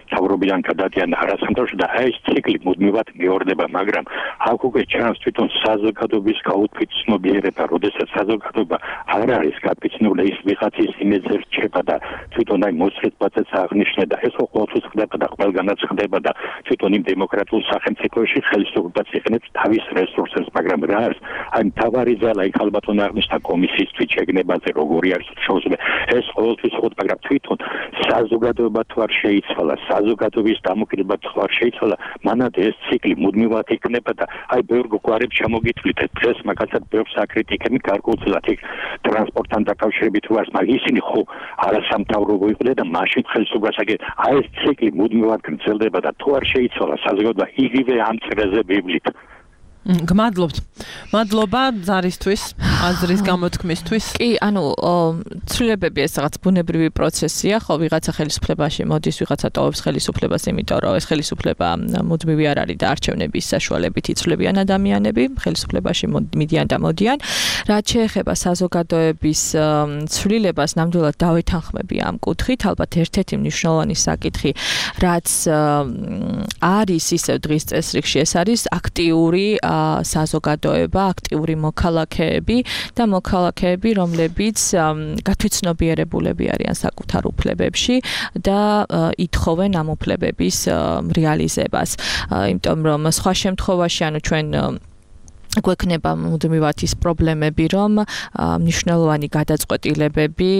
მთავრობიდან გადადიან არასამთავროში და აი ეს ციკლი მუდმივად მეორდება, მაგრამ აქ უკვე ჩანს თვითონ საზოგადოების გაუთვითცნობიერება, როდესაც საზოგადოება არ არის გაფიცნული, ის ვიღაცის იმედზე რჩება და თვითონ აი მოსწრებაც აღნიშნე და ეს ყოველთვის ხდება და ყველგანაც ხდება და თვითონ იმ დემოკრატიულ სახელმწიფოში ხელისუფლებას იყენებს თავის რესურსებს, მაგრამ რა არის? აი მთავარი ძალა იქ ალბათ აღნიშნა კომისიის თვითშეგნებაზე როგორი არის შეუძლია ეს ყოველთვის ხოთ, მაგრამ თვითონ საზოგადოება თუ არ შეიცვალა, საზოგადოების დამოკიდება თუ არ შეიცვალა, მანამდე ეს ციკლი მუდმივად იქნება და აი ბევრ გვარებს ჩამოგითვლით დღეს მაგალითად ბევრ საკრიტიკები გარკვეულწილად იქ ტრანსპორტთან დაკავშირებით თუ არის, მაგრამ ისინი ხო არასამთავრობო იყვნენ და მაშინ ხელისუფლებას აგეთ. აი ეს ციკლი მუდმივად გრძელდება და თუ არ შეიცვალა საზოგადოება იგივე ამ წრეზე ვივლით. გმადლობთ. მადლობა ზარისთვის, აზრის გამოთქმისთვის. კი, ანუ ცვლილებები ეს რაღაც ბუნებრივი პროცესია, ხო, ვიღაცა ხელისუფლებაში მოდის, ვიღაცა ტოვებს ხელისუფლებას, იმიტომ რომ ეს ხელისუფლება მუდმივი არ არის და არჩევნების საშუალებით იცვლებიან ადამიანები, ხელისუფლებაში მიდიან და მოდიან. რაც შეეხება საზოგადოების ცვლილებას, ნამდვილად დავეთანხმები ამ კუთხით, ალბათ ერთ-ერთი მნიშვნელოვანი საკითხი, რაც არის ისევ დღის წესრიგში, ეს არის აქტიური საზოგადოება, აქტიური მოქალაქეები და მოქალაქეები, რომლებიც გათვითცნობიერებულები არიან საკუთარ უფლებებში და ითხოვენ ამ უფლებების რეალიზებას. იმიტომ რომ სხვა შემთხვევაში, ანუ ჩვენ გვექნება მუდმივად ის პრობლემები, რომ მნიშვნელოვანი გადაწყვეტილებები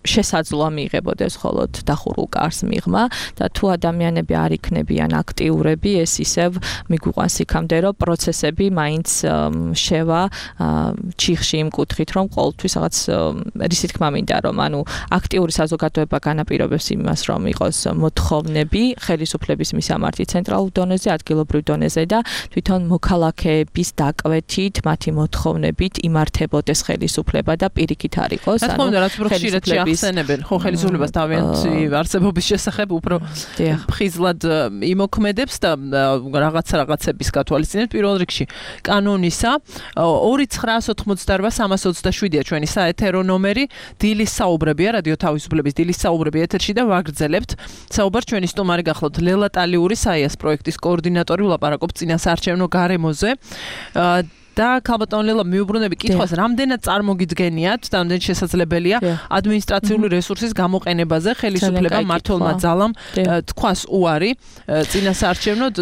შესაძლოა მიიღებოდეს მხოლოდ დახურულ კარს მიღმა და თუ ადამიანები არ იქნებიან აქტიურები, ეს ისევ მიგვიყვანს იქამდე, რომ პროცესები მაინც შევა ჩიხში იმ კუთხით, რომ ყოველთვის რაღაც რისი თქმა მინდა, რომ ანუ აქტიური საზოგადოება განაპირობებს იმას, რომ იყოს მოთხოვნები ხელისუფლების მისამართი ცენტრალურ დონეზე, ადგილობრივ დონეზე და თვითონ მოქალაქეები წევრების დაკვეთით, მათი მოთხოვნებით იმართებოდეს ხელისუფლება და პირიქით არ იყოს. რა თქმა უნდა, რაც უფრო ხშირად შეახსენებენ, ხო ხელისუფლებას თავიანთი არსებობის შესახებ უფრო ხიზლად იმოქმედებს და რაღაცების გათვალისწინებთ პირველ რიგში კანონისა 2988-327-ია ჩვენი საეთერო ნომერი, დილის საუბრებია, რადიო თავისუფლების დილის საუბრები ეთერში და ვაგრძელებთ. საუბარ ჩვენი სტუმარი გახლავთ ლელა ტალიური, საიას პროექტის კოორდინატორი, ვლაპარაკობთ წინასაარჩევნო გარემოზე. და ქალბატონ ლელა მიუბრუნები კითხვას, რამდენად წარმოგიდგენიათ და რამდენად შესაძლებელია ადმინისტრაციული რესურსის გამოყენებაზე ხელისუფლებამ მმართველმა ძალამ თქვას უარი წინასაარჩევნოდ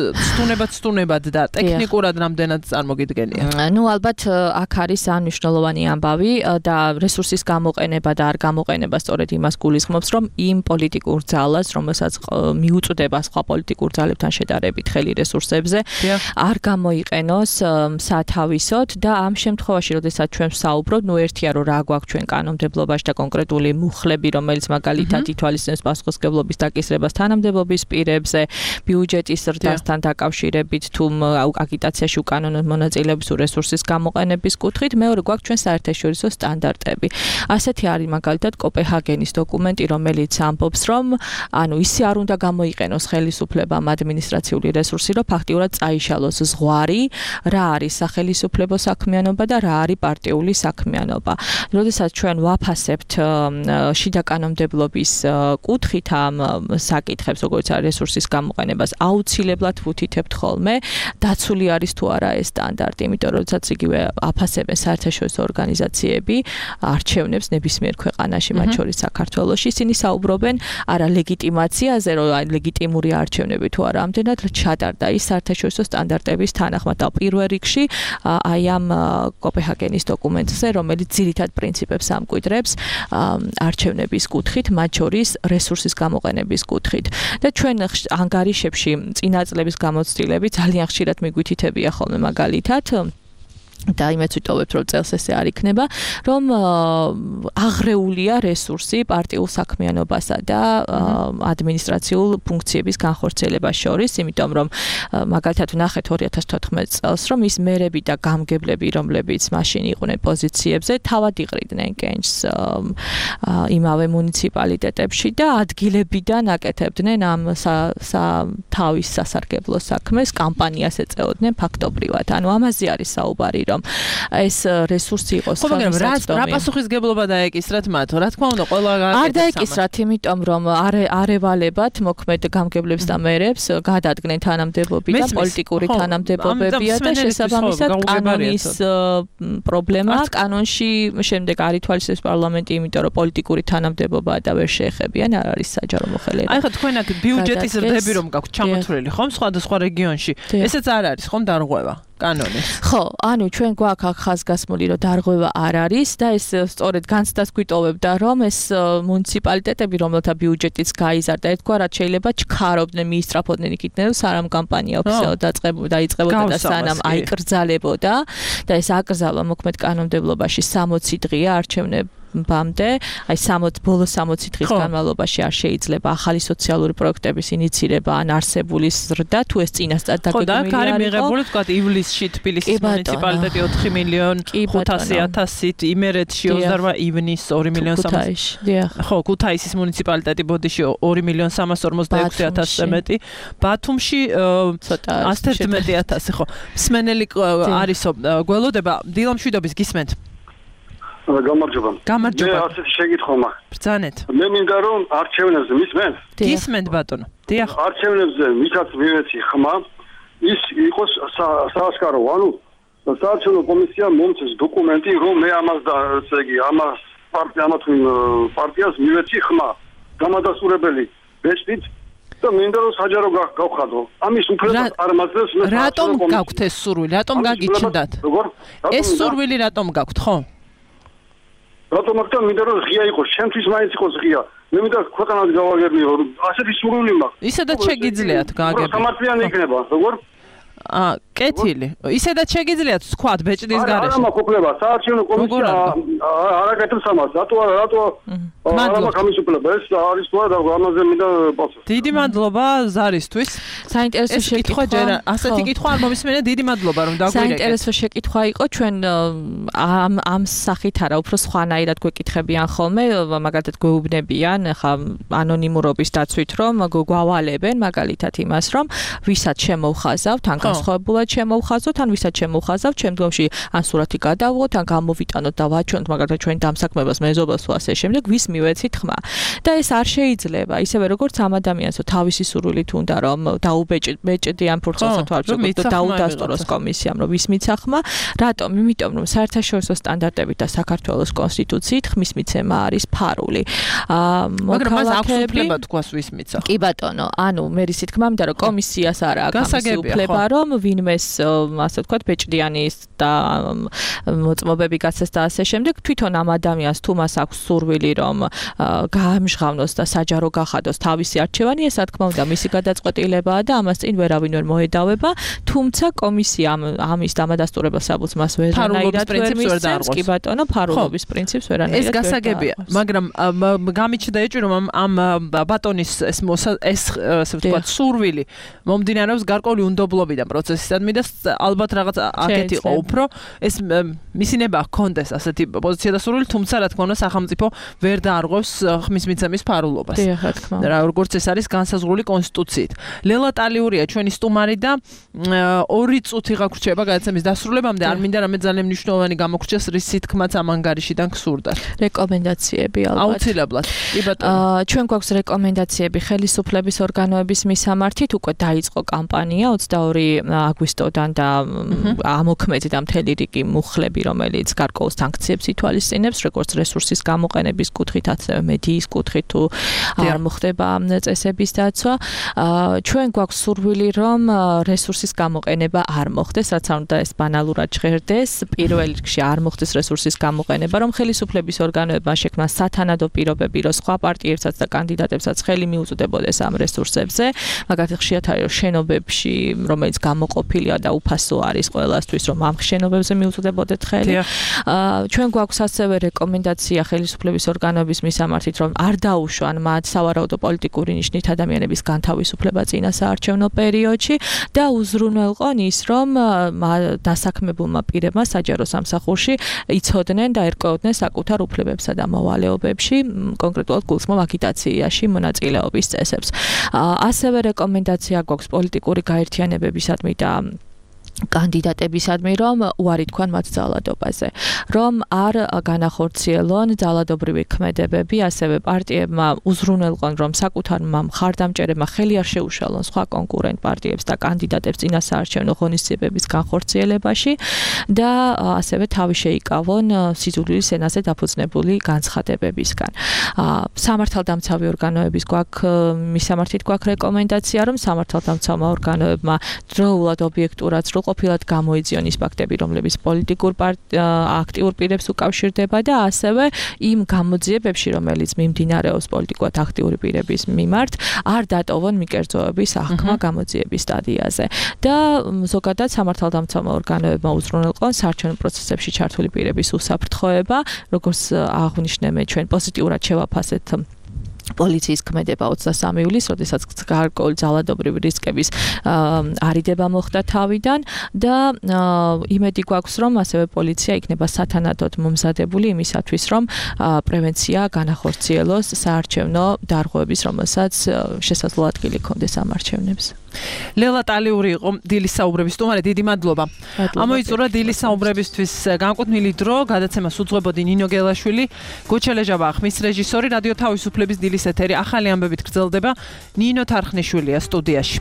სტუნებად და ტექნიკურად რამდენად წარმოგიდგენიათ? ნუ ალბათ აქ არის მნიშვნელოვანი ამბავი და რესურსის გამოყენება და არ გამოყენება სწორედ იმას გულისხმობს, რომ იმ პოლიტიკურ ძალას, რომელსაც მიუწვდება სხვა პოლიტიკურ ძალებთან შედარებით ხელი რესურსებზე, არ გამოიყენოს სათავის და ამ შემთხვევაში, როდესაც ჩვენ ვსაუბრობთ, ნუ ერთია რომ რა გვაქვს ჩვენ კანონმდებლობაში და კონკრეტული მუხლები, რომელიც მაგალითად ითვალისწინებს პასუხისმგებლობის დაკისრებას თანამდებობის პირებზე, ბიუჯეტის ზრდასთან დაკავშირებით თუ აგიტაციაში უკანონოდ მონაწილეობის რესურსის გამოყენების კუთხით, მეორე გვაქვს ჩვენ საერთაშორისო სტანდარტები. ასეთი არის მაგალითად კოპენჰაგენის დოკუმენტი, რომელიც ამბობს, რომ ანუ ისე არ უნდა გამოიყენოს ხელისუფლებამ ადმინისტრაციული რესურსი, რომ ფაქტიურად წაიშალოს ზღვარი, რა არის სახელმწიფო საქმიანობა და რა არის პარტიული საქმიანობა. როდესაც ჩვენ ვაფასებთ შიდა კანონმდებლობის კუთხით ამ საკითხებს, როგორც არის რესურსის გამოყენებას, აუცილებლად ვუთითებთ ხოლმე, დაცული არის თუ არა ეს სტანდარტი, იმიტომ რომ როდესაც იგივე აფასებენ საერთაშორისო ორგანიზაციები არჩევნებს ნებისმიერ ქვეყანაში, მათ შორის საქართველოში, ისინი საუბრობენ არა ლეგიტიმაციაზე, რომ ლეგიტიმური არჩევნები თუ არა ამდენად ჩატარდა ის საერთაშორისო სტანდარტების თანახმად და პირველ რიგში აი ამ კოპენჰაგენის დოკუმენტზე, რომელიც ძირითად პრინციპებს ამკვიდრებს არჩევნების კუთხით, მათ შორის რესურსის გამოყენების კუთხით. და ჩვენ ანგარიშებში წინა წლების გამოცდილები ძალიან ხშირად მიგვითითებია ხოლმე მაგალითად და იმეც ვიტოვებთ, რომ წელს ესე არ იქნება, რომ აღრეულია რესურსი პარტიულ საქმიანობასა და ადმინისტრაციულ ფუნქციების განხორციელებას შორის, იმიტომ რომ მაგალითად ვნახეთ 2014 წელს, რომ ის მერები და გამგებლები, რომლებიც მაშინ იყვნენ პოზიციებზე, თავად იყრიდნენ კენჭს იმავე მუნიციპალიტეტებში და ადგილებიდან აკეთებდნენ ამ თავის სასარგებლო საქმეს, კამპანიას ეწეოდნენ ფაქტობრივად. ანუ ამაზე არის საუბარი, რომ ეს რესურსი იყოს ხელმისაწვდომი. რა პასუხისგებლობა დაეკისრათ მათ? რა თქმა უნდა, ყველა არ დაეკისრათ, იმიტომ რომ არევალებად მოქმედ გამგებლებს და მერებს გადადგნენ თანამდებობი და პოლიტიკური თანამდებობებია და შესაბამისად კანონის პრობლემა კანონში შემდეგ არ ითვალისწინებს პარლამენტი, იმიტომ რომ პოლიტიკური თანამდებობაა და ვერ შეეხებიან, არ არის საჯარო მოხელეება. აი ხა თქვენ აქ ბიუჯეტის ზრდები რომ გაქვთ ჩამოთვლილი ხომ სხვადასხვა რეგიონში, ესეც არ არის ხომ დარღვევა? კანონის. ხო, ანუ ჩვენ გვაქვს აქ ხაზგასმული, რომ დარღვევა არ არის და ეს სწორედ განცდას გვიტოვებდა, რომ ეს მუნიციპალიტეტები, რომელთა ბიუჯეტიც გაიზარდა, ერთგვარად შეიძლება ჩქარობდნენ, მიისწრაფოდნენ იქიდან, სანამ კამპანია ოფიციალურად დაიწყებოდა და სანამ აიკრძალებოდა და ეს აკრძალვა მოქმედ კანონმდებლობაში 60 დღეა არჩევნებამდე, აი ბოლო 60 დღის განმავლობაში არ შეიძლება ახალი სოციალური პროექტების ინიცირება ან არსებული ზრდა, თუ ეს წინასწარ დაგეგმილი არის. ხო, და აქ არის მიღებული, თქვა ივლისში თბილისის მუნიციპალიტეტი 4.500.000-ით, იმერეთში 28 ივნის 2.300.000. ხო, ქუთაისის მუნიციპალიტეტი ბოდიში 2.346.000-ზე მეტი, ბათუმში 111.000, ხო. მსმენელი არისო, გველოდება, დილამშვიდობის გისმენთ. გამარჯობა. გამარჯობა. მე ასეთი შეკითხვა მაქვს. ბრძანეთ. მე მინდა რომ არჩევნებზე მისმენთ? გისმენთ ბატონო. დიახ. არჩევნებზე ვისაც მივეცი ხმა, ის იყოს საასკარო, ანუ საარჩევნო კომისიამ მომწეს დოკუმენტი, რომ მე ამას და ესე იგი ამას პარტიას მივეცი ხმა. გამადასტურებელი ბეჭდით და მინდა რომ საჯარო გავხადო. ამის უფლებას არ მაძლევს მე. რატომ გაქვთ ეს სურვილი? რატომ გაგიჩნდათ? ეს სურვილი რატომ გაქვთ, ხო? რატომ აქ და მინდა რომ ღია იყოს, ჩემთვის მაინც იყოს ღია. მე მინდა ქვეყანას გავაგებიო, ასეთი სურვილი მაქვს. ისედაც შეგიძლიათ გააგებინოთ. სამართლიანი იქნება, როგორ? კეთილი. ისედაც შეგიძლიათ ვთქვათ ბეჭდის გარეშე. არა მაქვს უფლება, საარჩევნო კომისია არ აკეთებს ამას. რატო არა მაქვს ამის უფლება? ეს არის თუ არა ამაზე მინდა პასუხი. დიდი მადლობა ზარისთვის. საინტერესო შეკითხვა. ასეთი კითხვა არ მომისმენია, დიდი მადლობა რომ დაგვირეკეთ. საინტერესო შეკითხვა იყო ჩვენ ამ სახით არა, უფრო სხვანაირად გვეკითხებიან ხოლმე, მაგალითად გვეუბნებიან ხა ანონიმურობის დაცვით რომ გვავალებენ მაგალითად იმას რომ ვისაც შემოვხაზავთ, ან განსხვავებულად შემოვხაზავთ, ან ვისაც შემოვხაზავთ, შემდგომში ან სურათი გადავღოთ, ან გამოვიტანოთ და ვაჩვენოთ მაგალითად ჩვენ დამსაქმებას, მეზობელს თუ ასე შემდეგ, ვის მივეცით ხმა. და ეს არ შეიძლება, ისევე როგორც ამ ადამიანს თავისი სურვილით უნდა რომ დაუბეჭდიან ფურცელსა თუ არ ვწოდოთ დაუდასტუროს კომისიამ რომ ვის მიცა ხმა, რატომ? იმიტომ რომ საერთაშორისო სტანდარტებით და საქართველოს კონსტიტუციით ხმის მიცემა არის ფარული. მაგრამ მას აქვს უფლება თქვას ვის მიცა. კი ბატონო, ანუ მე რისით თქმა მინდა რომ კომისიას არა აქვს უფლება რომ ვინმეს ასე ვთქვათ ბეჭდიანის და მოწმობები გაცეს და ასე შემდეგ თვითონ ამ ადამიანს თუ მას აქვს სურვილი რომ გაამჟღავნოს და საჯარო გახადოს თავისი არჩევანი, ეს რა თქმა უნდა მისი გადაწყვეტილებაა და ამას წინ ვერავინ ვერ მოედავება, თუმცა კომისია ამის დამადასტურებელ საბუთს მას ვერანაირად ვერ მისცემს. კი ბატონო, ფარულობის პრინციპს ვერანაირად. ეს გასაგებია, მაგრამ გამიჩნდა ეჭვი რომ ამ ბატონის ეს ასე ვთქვათ სურვილი მომდინარეობს გარკვეული უნდობლობიდან პროცესისადმი და ალბათ რაღაც აქეთ იყო უფრო ეს მისინება ჰქონდეს ასეთი პოზიცია და სურვილი, თუმცა რა თქმა უნდა სახელმწიფო ვერ დაარღვევს ხმის მიცემის ფარულობას. რა როგორც ეს არის განსაზღვრული კონსტიტუციით. ლელა ტალიურია ჩვენი სტუმარი და 2 წუთი გაგვრჩება გადაცემის დასრულებამდე. არ მინდა რამე ძალიან მნიშვნელოვანი გამოგრჩეს, რის სითქმაც ამ ანგარიშიდან გსურდა. რეკომენდაციები ალბათ. აუცილებლად. კი ბატონო. ჩვენ გვაქვს რეკომენდაციები ხელისუფლების ორგანოების მისამართით, უკვე დაიწყო კამპანია 22 აგვისტოდან და ამოქმედდა მთელი რიგი მუხლები, რომელიც გარკვეულ სანქციებს ითვალისწინებს, როგორც რესურსის გამოყენების კუთხით, ასევე მედიის კუთხით თუ არ მოხდება წესების დაცვა. ჩვენ გვაქვს სურვილი, რომ რესურსის გამოყენება არ მოხდეს, რაც არ უნდა ეს ბანალურად ჟღერდეს. პირველ რიგში არ მოხდეს რესურსის გამოყენება, რომ ხელისუფლების ორგანოებმა შექმნას სათანადო პირობები, რომ სხვა პარტიებსაც და კანდიდატებსაც ხელი მიუწვდებოდეს ამ რესურსებზე. მაგალითად, ხშირად არის რომ შენობებში, რომელიც გამოყოფილია და უფასო არის ყველასთვის, რომ ამ შენობებზე მიუწვდებოდეთ ხელი. ჩვენ გვაქვს ასევე რეკომენდაცია ხელისუფლების ორგანოების მისამართით, რომ არ დაუშვან მათ სავარაუდო პოლიტიკური ნიშნით ადამიანების განთავისუფლება წინა საარჩევნო პერიოდში და უზრუნველყონ ის, რომ დასაქმებულმა პირებმა საჯარო სამსახურში იცოდნენ და ერკვეოდნენ საკუთარ უფლებებსა და მოვალეობებში, კონკრეტულად გულისხმობ აგიტაციაში მონაწილეობის წესებს. ასევე რეკომენდაცია გვაქვს პოლიტიკური გაერთიანებებისადმი და კანდიდატებისადმი, რომ უარი თქვან მათ ძალადობაზე, რომ არ განახორციელონ ძალადობრივი ქმედებები, ასევე პარტიებმა უზრუნველყონ, რომ საკუთარმა მხარდამჭერებმა ხელი არ შეუშალონ სხვა კონკურენტ პარტიებს და კანდიდატებს წინა საარჩევნო ღონისძიებების განხორციელებაში და ასევე თავი შეიკავონ სიძულვილის ენაზე დაფუძნებული განცხადებებისგან. სამართალდამცავი ორგანოების მისამართით გვაქვს რეკომენდაცია, რომ სამართალდამცავმა ორგანოებმა დროულად ობიექტურად ყოფილად გამოიძიონ ის ფაქტები, რომლებიც პოლიტიკურ აქტიურ პირებს უკავშირდება და ასევე იმ გამოძიებებში, რომელიც მიმდინარეობს პოლიტიკურად აქტიური პირების მიმართ, არ დატოვონ მიკერძოები საქმე გამოძიების სტადიაზე. და ზოგადად სამართალდამცავმა ორგანოებმა უზრუნველყონ საარჩევნო პროცესებში ჩართული პირების უსაფრთხოება, როგორც აღვნიშნებენ ჩვენ პოზიტიურად შევაფასეთ პოლიციის ქმედება 23 ივლისს, როდესაც გარკვეული ძალადობრივი რისკების არიდება მოხდა თავიდან და იმედი გვაქვს, რომ ასევე პოლიცია იქნება სათანადოდ მომზადებული იმისათვის, რომ პრევენცია განახორციელოს საარჩევნო დარღვევების, რომელსაც შესაძლოა ადგილი ჰქონდეს ამ არჩევნებს. ლელა ტალიური იყო დილის საუბრების სტუმარი, დიდი მადლობა. ამოიწურა დილის საუბრებისთვის განკუთვნილი დრო, გადაცემას უძღვებოდი ნინო გელაშვილი, გოჩელეჟაბა ხმის რეჟისორი, რადიო თავისუფლების დილის ეთერი ახალი ამბებით გრძელდება, ნინო თარხნიშვილია სტუდიაში.